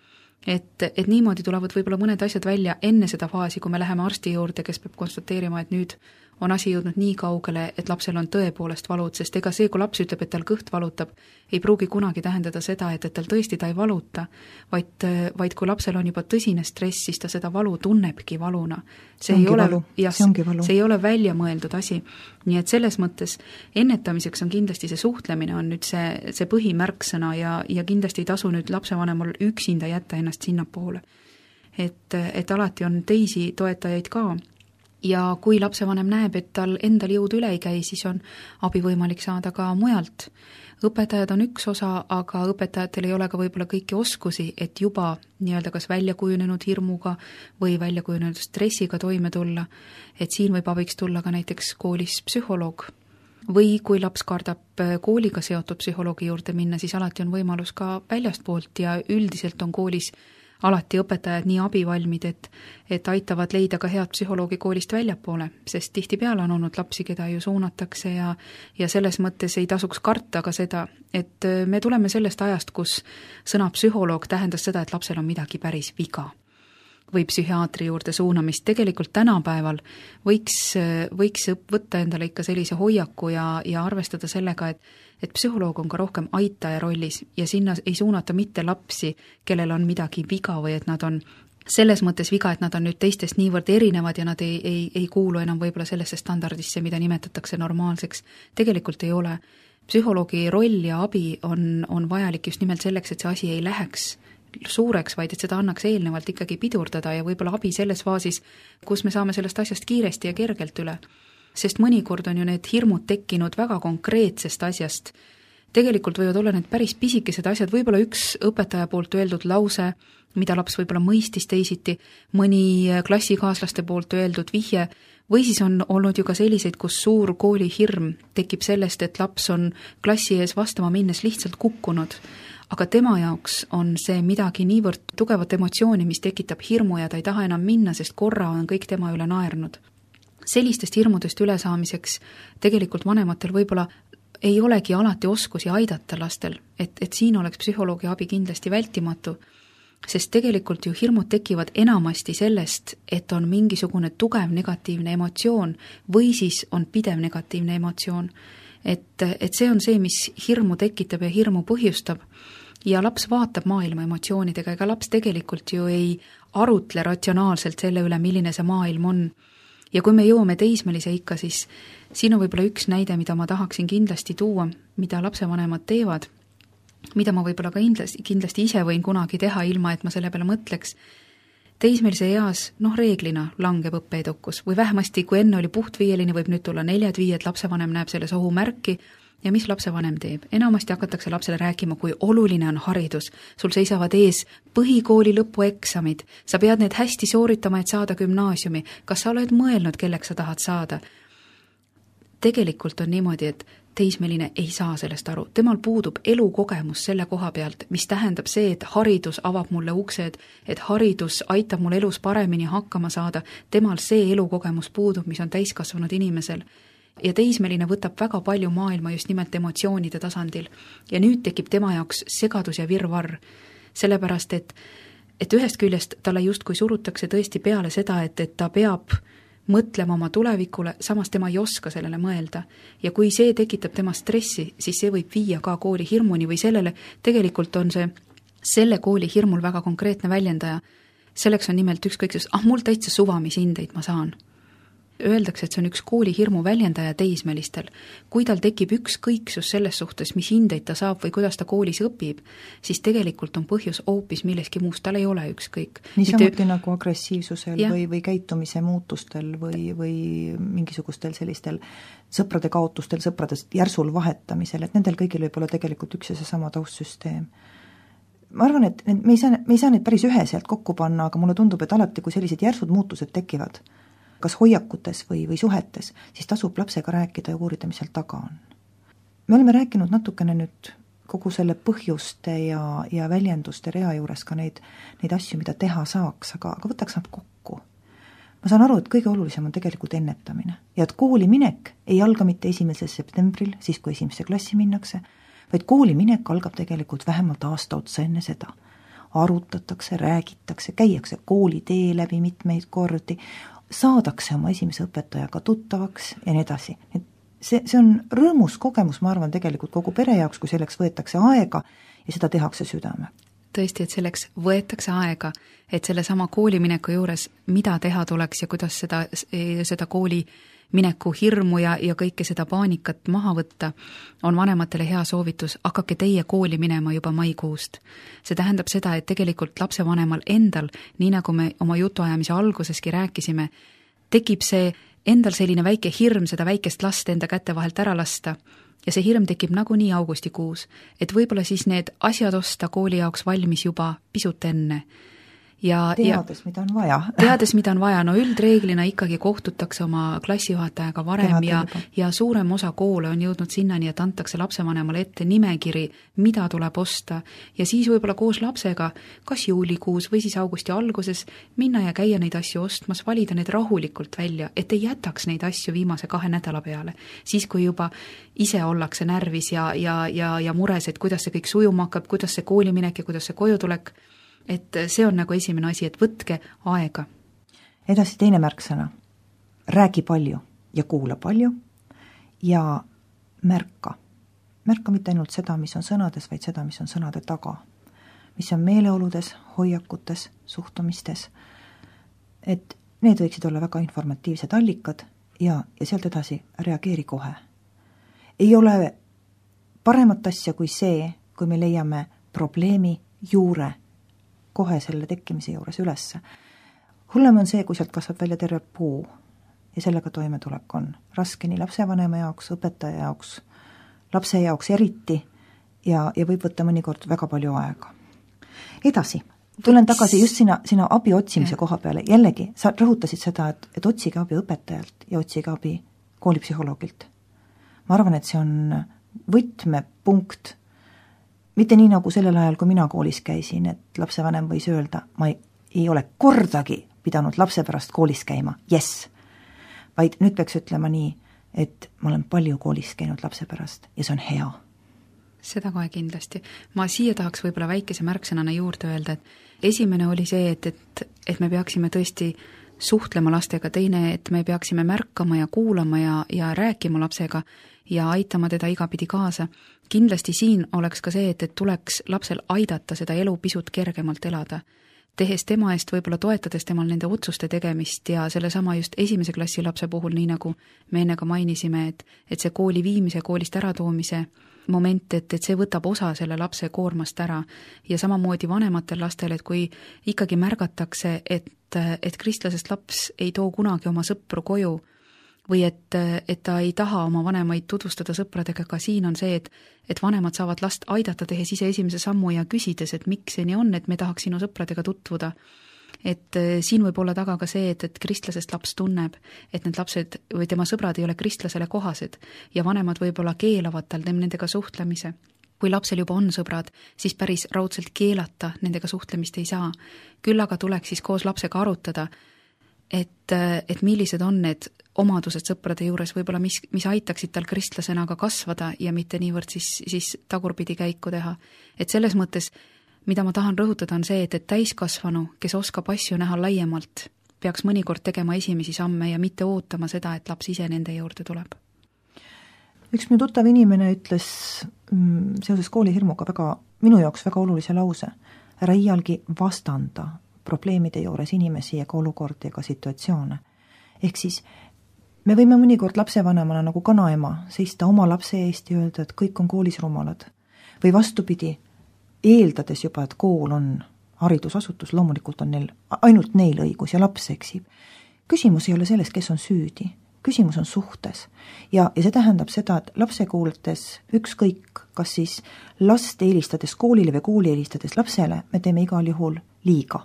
Et, et niimoodi tulevad võib-olla mõned asjad välja enne seda faasi, kui me läheme arsti juurde, kes peab konstateerima, et nüüd on asi jõudnud nii kaugele, et lapsel on tõepoolest valud, sest ega see, kui laps ütleb, et tal kõht valutab, ei pruugi kunagi tähendada seda, et, et tal tõesti ta ei valuta, vaid, vaid kui lapsel on juba tõsine stress, siis ta seda valu tunnebki valuna. See, see, ei ole, jah, see, see ei ole välja mõeldud asi. Nii et selles mõttes ennetamiseks on kindlasti see suhtlemine on nüüd see, see põhimärksõna ja, ja kindlasti ei tasu nüüd lapsevanemal üksinda jätta ennast sinnapoole. Et, et alati on teisi toetajaid ka. Ja kui lapsevanem näeb, et tal endal jõud üle ei käi, siis on abi võimalik saada ka mujalt. Õpetajad on üks osa, aga õpetajatel ei ole ka võib-olla kõiki oskusi, et juba nii-öelda kas välja kujunenud hirmuga või välja kujunenud stressiga toime tulla. Et siin võib abiks tulla ka näiteks koolis psühholoog. Või kui laps kardab kooliga seotud psühholoogi juurde minna, siis alati on võimalus ka väljastpoolt ja üldiselt on koolis alati õpetajad nii abivalmid, et, et aitavad leida ka head psühholoogi koolist väljapoole, sest tihtipeale on olnud lapsi, keda ju suunatakse ja, ja selles mõttes ei tasuks karta ka seda, et me tuleme sellest ajast, kus sõna psühholoog tähendas seda, et lapsel on midagi päris viga või psühhiaatri juurde suunamist. Tegelikult tänapäeval võiks, võiks võtta endale ikka sellise hoiaku ja, ja arvestada sellega, et, et psühholoog on ka rohkem aitaja rollis ja sinna ei suunata mitte lapsi, kellel on midagi viga või et nad on selles mõttes viga, et nad on nüüd teistest niivõrd erinevad ja nad ei, ei, ei kuulu enam võib-olla sellesse standardisse, mida nimetatakse normaalseks. Tegelikult ei ole. Psühholoogi roll ja abi on, on vajalik just nimelt selleks, et see asi ei läheks suureks, vaid et seda annaks eelnevalt ikkagi pidurdada ja võib-olla abi selles faasis, kus me saame sellest asjast kiiresti ja kergelt üle. Sest mõnikord on ju need hirmud tekkinud väga konkreetsest asjast. Tegelikult võivad olla need päris pisikesed asjad, võib-olla üks õpetaja poolt öeldud lause, mida laps võib-olla mõistis teisiti, mõni klassikaaslaste poolt öeldud vihje, või siis on olnud ju ka selliseid, kus suur kooli hirm tekib sellest, et laps on klassi ees vastama minnes lihtsalt kukkunud. Aga tema jaoks on see midagi niivõrd tugevat emotsiooni, mis tekitab hirmu ja ta ei taha enam minna, sest korra on kõik tema üle naernud. Sellistest hirmudest ülesaamiseks tegelikult vanematel võib-olla ei olegi alati oskusi aidata lastel, et, et siin oleks psühholoogi abi kindlasti vältimatu, sest tegelikult ju hirmud tekivad enamasti sellest, et on mingisugune tugev negatiivne emotsioon või siis on pidev negatiivne emotsioon. Et, et see on see, mis hirmu tekitab ja hirmu põhjustab. Ja laps vaatab maailma emotsioonidega, ega laps tegelikult ju ei arutle ratsionaalselt selle üle, milline see maailm on. Ja kui me jõuame teismelise ikka, siis siin on võib-olla üks näide, mida ma tahaksin kindlasti tuua, mida lapsevanemad teevad, mida ma võib-olla ka kindlasti, kindlasti ise võin kunagi teha, ilma et ma selle peale mõtleks. Teismelise eas, noh reeglina langeb õppeedukus või vähemasti, kui enne oli puhtviieline, võib nüüd tulla neljad viied, lapsevanem näeb selles ohumärki. Ja mis lapsevanem teeb? Enamasti hakatakse lapsele rääkima, kui oluline on haridus. Sul seisavad ees põhikooli lõpueksamid. Sa pead need hästi sooritama, et saada gümnaasiumi. Kas sa oled mõelnud, kelleks sa tahad saada? Tegelikult on niimoodi, et teismeline ei saa sellest aru. Temal puudub elukogemus selle koha pealt, mis tähendab see, et haridus avab mulle uksed, et haridus aitab mul elus paremini hakkama saada. Temal see elukogemus puudub, mis on täiskasvanud inimesel. Ja teismeline võtab väga palju maailma just nimelt emotsioonide tasandil. Ja nüüd tekib tema jaoks segadus ja virvarr. Sellepärast, et, et ühest küljest talle justkui surutakse tõesti peale seda, et, et ta peab mõtlema oma tulevikule, samas tema ei oska sellele mõelda. Ja kui see tekitab tema stressi, siis see võib viia ka kooli hirmuni või sellele, tegelikult on see selle kooli hirmul väga konkreetne väljendaja. Selleks on nimelt ükskõiksus, ah mul täitsa suva, mis hindeid ma saan. Öeldakse, et see on üks kooli hirmu väljendaja teismelistel. Kui tal tekib ükskõiksus selles suhtes, mis hindeid ta saab või kuidas ta koolis õpib, siis tegelikult on põhjus hoopis milleski muust, tal ei ole ükskõik. Nii samuti nagu agressiivsusel ja. või, või käitumise muutustel või, või mingisugustel sellistel sõprade kaotustel, sõpradest järsul vahetamisel, et nendel kõigil võib olla tegelikult üks ja seesama taustsüsteem. Ma arvan, et me ei saa, me ei saa neid päris üheselt kokku panna, aga mulle tundub, et alati, kui sellised järsud muutused tekivad, kas hoiakutes või, või suhetes, siis tasub lapsega rääkida ja uurida, mis seal taga on. Me oleme rääkinud natukene nüüd kogu selle põhjuste ja, ja väljenduste rea juures ka neid, neid asju, mida teha saaks, aga, aga võtaks nad kokku. Ma saan aru, et kõige olulisem on tegelikult ennetamine ja et kooli minek ei alga mitte esimesel septembril, siis kui esimesse klassi minnakse, vaid kooli minek algab tegelikult vähemalt aasta otsa enne seda. Arutatakse, räägitakse, käiakse kooli tee läbi mitmeid kordi, saadakse oma esimese õpetajaga tuttavaks ja nii edasi. See, see on rõõmus kogemus, ma arvan, tegelikult kogu pere jaoks, kui selleks võetakse aega ja seda tehakse südame. Tõesti, et selleks võetakse aega, et selle sama koolimineku juures, mida teha tuleks ja kuidas seda, seda kooli mineku hirmu ja, ja kõike seda paanikat maha võtta, on vanematele hea soovitus, hakake teie kooli minema juba maikuust. See tähendab seda, et tegelikult lapsevanemal endal, nii nagu me oma jutuajamise alguseski rääkisime, tekib see endal selline väike hirm seda väikest last enda käte vahelt ära lasta ja see hirm tekib nagunii augustikuus, et võib-olla siis need asjad osta kooli jaoks valmis juba pisut enne. ja teades, ja, mida on vaja. teades, mida on vaja, no üldreeglina ikkagi kohtutakse oma klassijuhatajaga varem ja, ja suurem osa koole on jõudnud sinnani, et antakse lapsevanemale ette nimekiri, mida tuleb osta ja siis võib-olla koos lapsega, kas juulikuus või siis augusti alguses minna ja käia neid asju ostmas, valida need rahulikult välja, et ei jätaks neid asju viimase kahe nädala peale. Siis, kui juba ise ollakse närvis ja, ja, ja, ja mures, et kuidas see kõik sujuma hakkab, kuidas see kooli minek ja kuidas see koju tulek, et see on nagu esimene asi, et võtke aega. Edasi teine märksõna. Räägi palju ja kuula palju ja märka. Märka mitte ainult seda, mis on sõnades, vaid seda, mis on sõnade taga. Mis on meeleoludes, hoiakutes, suhtumistes. Et need võiksid olla väga informatiivsed allikad ja, ja sealt edasi reageeri kohe. Ei ole paremat asja kui see, kui me leiame probleemi juure kohe selle tekkimise juures ülesse. Hullem on see, kui sealt kasvab välja terve puu ja sellega toimetulek on raske nii lapsevanema jaoks, õpetaja jaoks, lapse jaoks eriti ja, ja võib võtta mõnikord väga palju aega. Edasi, tulen tagasi just sina, sina abi otsimise koha peale. Jällegi, sa rõhutasid seda, et, et otsige abi õpetajalt ja otsige abi koolipsühholoogilt. Ma arvan, et see on võtmepunkt. Mitte nii nagu sellel ajal, kui mina koolis käisin, et lapsevanem võis öelda, ma ei, ei ole kordagi pidanud lapse pärast koolis käima, yes. Vaid nüüd peaks ütlema nii, et ma olen palju koolis käinud lapse pärast ja see on hea. Seda kohe kindlasti. Ma siia tahaks võib-olla väikese märksõnana juurde öelda, et esimene oli see, et, et, et me peaksime tõesti suhtlema lastega, teine, et me peaksime märkama ja kuulama ja, ja rääkima lapsega ja aitama teda igapidi kaasa. Kindlasti siin oleks ka see, et, et tuleks lapsel aidata seda elu pisut kergemalt elada, tehes tema eest, võib-olla toetades temal nende otsuste tegemist ja selle sama just esimese klassi lapse puhul, nii nagu me enne ka mainisime, et, et see kooli viimise, koolist äratoomise moment, et, et see võtab osa selle lapse koormast ära ja samamoodi vanematel lastel, et kui ikkagi märgatakse, et, et kristlasest laps ei too kunagi oma sõpru koju või et, et ta ei taha oma vanemaid tutvustada sõpradega, ka siin on see, et, et vanemad saavad last aidata tehes ise esimese sammu ja küsides, et miks see nii on, et me tahaks sinu sõpradega tutvuda. Et siin võib olla taga ka see, et, et kristlasest laps tunneb, et need lapsed või tema sõbrad ei ole kristlasele kohased ja vanemad võib-olla keelavad tal nendega suhtlemise. Kui lapsel juba on sõbrad, siis päris raudselt keelata nendega suhtlemist ei saa. Küll aga tuleks siis koos lapsega arutada, et, et millised on need omadused sõprade juures, võib-olla mis, mis aitaksid tal kristlasena ka kasvada ja mitte niivõrd siis, siis tagurpidi käiku teha. Et selles mõttes, mida ma tahan rõhutada, on see, et, et täiskasvanu, kes oskab asju näha laiemalt, peaks mõnikord tegema esimesi samme ja mitte ootama seda, et laps ise nende juurde tuleb. Üks minu tuttav inimene ütles mm, seoses koolihirmuga väga, minu jaoks väga olulise lause. Ära iialgi vastanda probleemide juures inimesi ja ka olukordi ja ka situatsioone. Ehk siis me võime mõnikord lapsevanemana nagu kanaema seista oma lapse eest ja öelda, et kõik on koolis rumalad. Või vastupidi, eeldades juba, et kool on haridusasutus, loomulikult on neil, ainult neil õigus ja laps eksib. Küsimus ei ole selles, kes on süüdi. Küsimus on suhtes. Ja, ja see tähendab seda, et lapse kuulates ükskõik, kas siis last eelistades koolile või kooli eelistades lapsele, me teeme igal juhul liiga.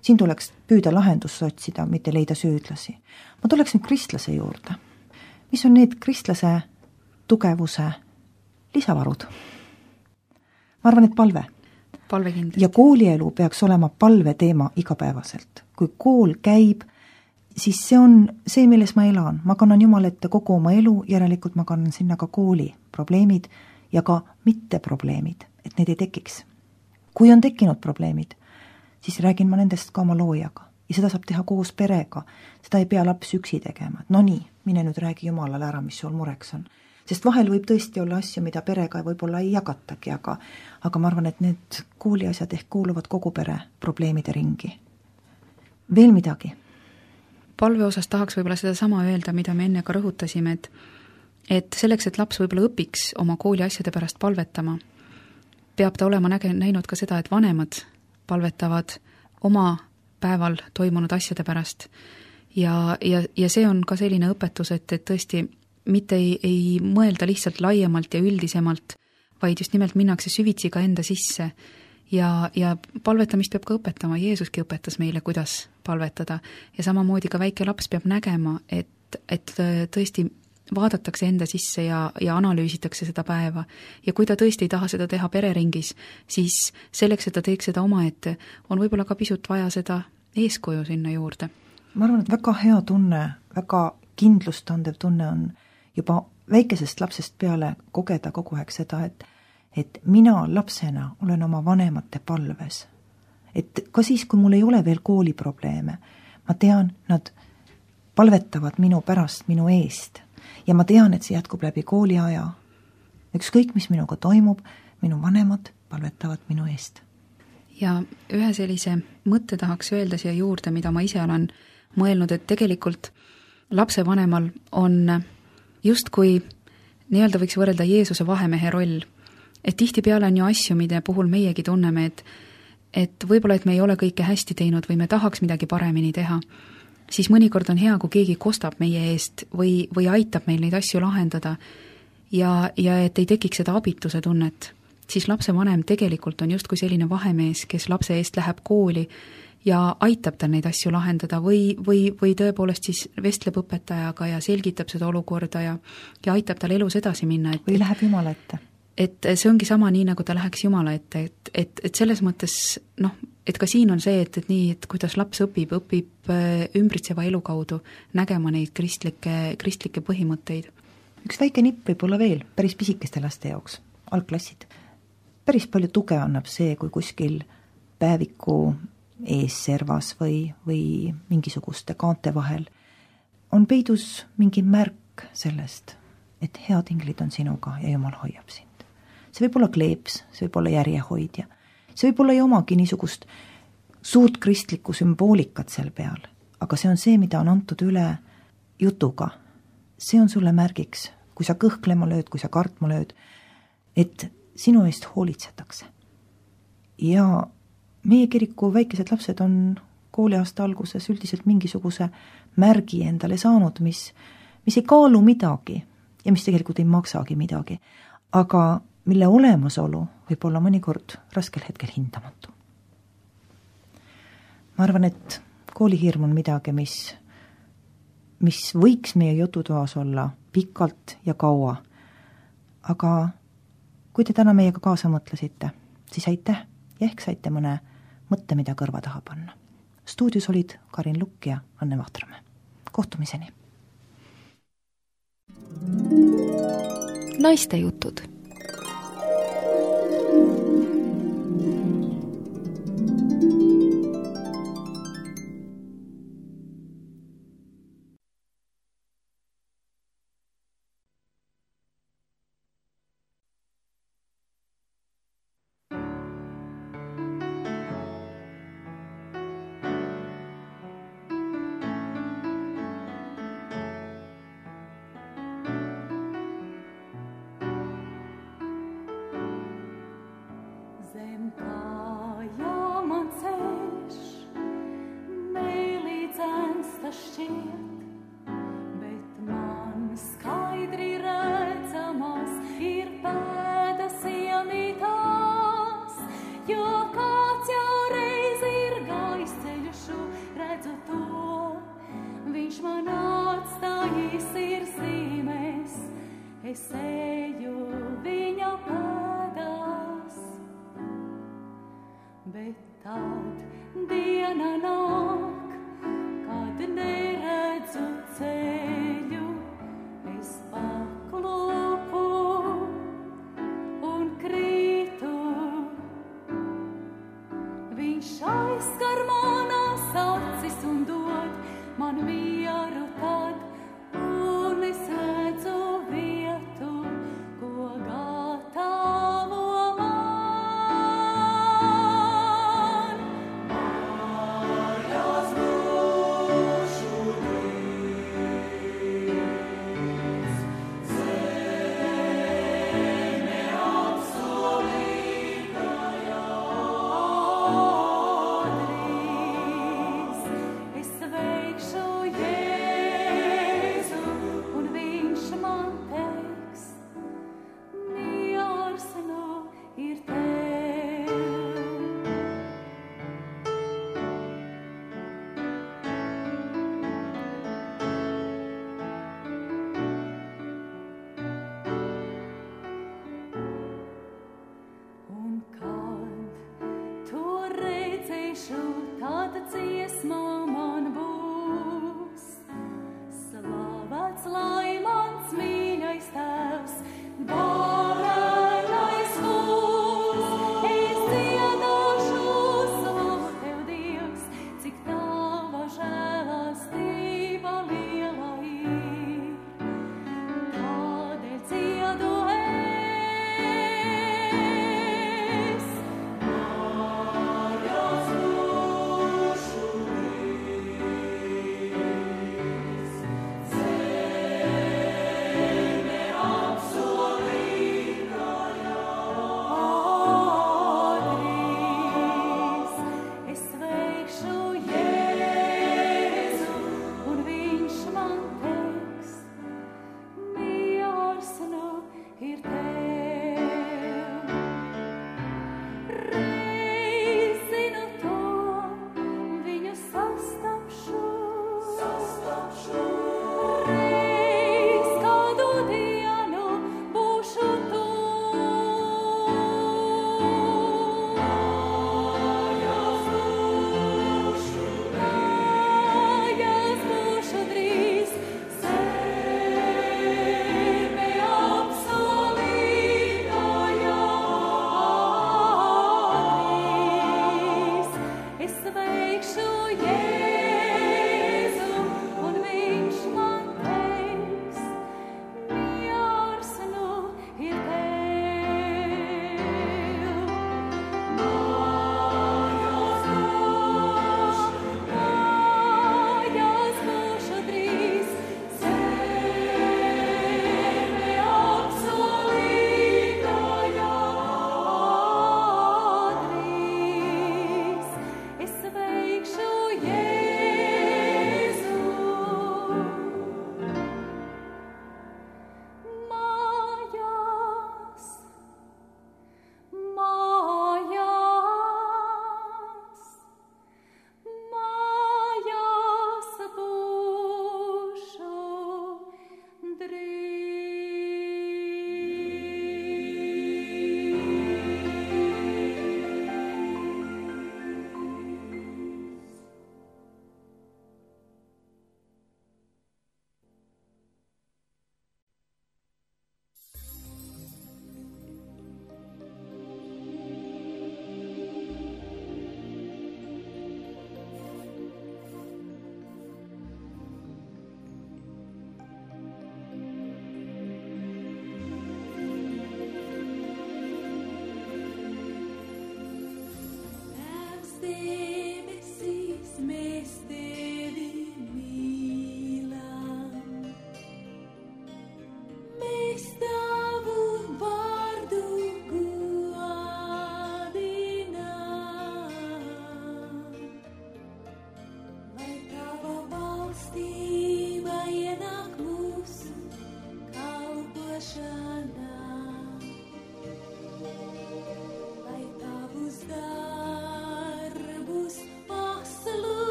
Siin tuleks püüda lahendust otsida, mitte leida süüdlasi. Ma tuleks nüüd kristlase juurde. Mis on need kristlase tugevuse lisavarud? Ma arvan, et palve. Palve kindlasti. Ja koolielu peaks olema palve teema igapäevaselt. Kui kool käib, siis see on see, milles ma elan. Ma kannan Jumala ette kogu oma elu, järelikult ma kannan sinna ka kooli probleemid ja ka mitte probleemid, et need ei tekiks. Kui on tekkinud probleemid, siis räägin ma nendest ka oma loojaga. Ja seda saab teha koos perega. Seda ei pea laps üksi tegema. No nii, mine nüüd räägi Jumalale ära, mis sul mureks on. Sest vahel võib tõesti olla asju, mida perega võib-olla ei jagatagi, aga, aga ma arvan, et need kooliasjad ehk kuuluvad kogu pere probleemide ringi. Veel midagi? Palve osas tahaks võib-olla seda sama öelda, mida me enne ka rõhutasime, et, et selleks, et laps võib-olla õpiks oma kooli asjade pärast palvetama, peab ta olema näge, näinud ka seda, et vanemad palvetavad oma päeval toimunud asjade pärast. Ja, ja, ja see on ka selline õpetus, et, et tõesti mitte ei, ei mõelda lihtsalt laiemalt ja üldisemalt, vaid just nimelt minnakse süvitsi ka enda sisse ja, ja palvetamist peab ka õpetama, Jeesuski õpetas meile, kuidas palvetada ja samamoodi ka väike laps peab nägema, et, et tõesti vaadatakse enda sisse ja, ja analüüsitakse seda päeva ja kui ta tõesti ei taha seda teha pereringis, siis selleks, et ta teeks seda omaette, on võib-olla ka pisut vaja seda eeskuju sinna juurde. Ma arvan, et väga hea tunne, väga kindlustandev tunne on juba väikesest lapsest peale kogeda kogu aeg seda, et et mina lapsena olen oma vanemate palves. Et ka siis, kui mul ei ole veel kooliprobleeme, ma tean, nad palvetavad minu pärast, minu eest. Ja ma tean, et see jätkub läbi kooliaja. Ükskõik, mis minuga toimub, minu vanemad palvetavad minu eest. Ja ühe sellise mõtte tahaks öelda siia juurde, mida ma ise olen mõelnud, et tegelikult lapsevanemal on justkui nii-öelda võiks võrrelda Jeesuse vahemehe roll. Et tihtipeale on ju asju, mille puhul meiegi tunneme, et, et võib-olla, et me ei ole kõike hästi teinud või me tahaks midagi paremini teha, siis mõnikord on hea, kui keegi kostab meie eest või, või aitab meil neid asju lahendada ja, ja et ei tekiks seda abituse tunnet. Siis lapsevanem tegelikult on justkui selline vahemees, kes lapse eest läheb kooli ja aitab tal neid asju lahendada või, või, või tõepoolest siis vestleb õpetajaga ja selgitab seda olukorda ja, ja aitab tal elus edasi minna. Et, või läheb Jumala ette. Et see ongi sama nii, nagu ta läheks Jumala ette, et, et, et selles mõttes, noh, et ka siin on see, et, et nii, et kuidas laps õpib, õpib ümbritseva elu kaudu nägema neid kristlikke, kristlikke põhimõtteid. Üks väike nipp võib olla veel päris pisikeste laste jaoks, algklassid. Päris palju tuge annab see, kui kuskil päeviku ees servas või, või mingisuguste kaante vahel on peidus mingi märk sellest, et head inglid on sinuga ja Jumal hoiab sind. See võib olla kleeps, see võib olla järjehoidja. See võib olla ei omagi niisugust suurt kristlikku sümboolikat seal peal, aga see on see, mida on antud üle jutuga. See on sulle märgiks, kui sa kõhklema lööd, kui sa kartma lööd, et sinu eest hoolitsetakse. Ja meie kiriku väikesed lapsed on kooliaasta alguses üldiselt mingisuguse märgi endale saanud, mis, mis ei kaalu midagi ja mis tegelikult ei maksagi midagi, aga mille olemasolu võib olla mõnikord raskel hetkel hindamatu. Ma arvan, et koolihirm on midagi, mis, mis võiks meie jututoas olla pikalt ja kaua. Aga kui te täna meiega kaasa mõtlesite, siis aitäh ja ehk saite mõne mõtte, mida kõrva taha panna. Stuudios olid Karin Lukk ja Anne Vahtramäe. Kohtumiseni! Naiste jutud. Maria dziedāšu, tad dziesmā man būs. Slavēts lai mans mīļais tēvs, Bārēnais kungs, es dziedāšu slavu tev, Dievs, cik tava žēlastība liela ir. Tādēļ dziedu es, Mājās būšu līdz, zeme apsolītajā. Drīz es sveikšu Jēzu, un viņš man teiks, miers nu ir tev. Reiz zinu to, viņu sastapšu, reiz kādu dienu būšu tur. Mājās būšu, mājās būšu drīz, zeme apsolītajā. Drīz es sveikšu Jēzu,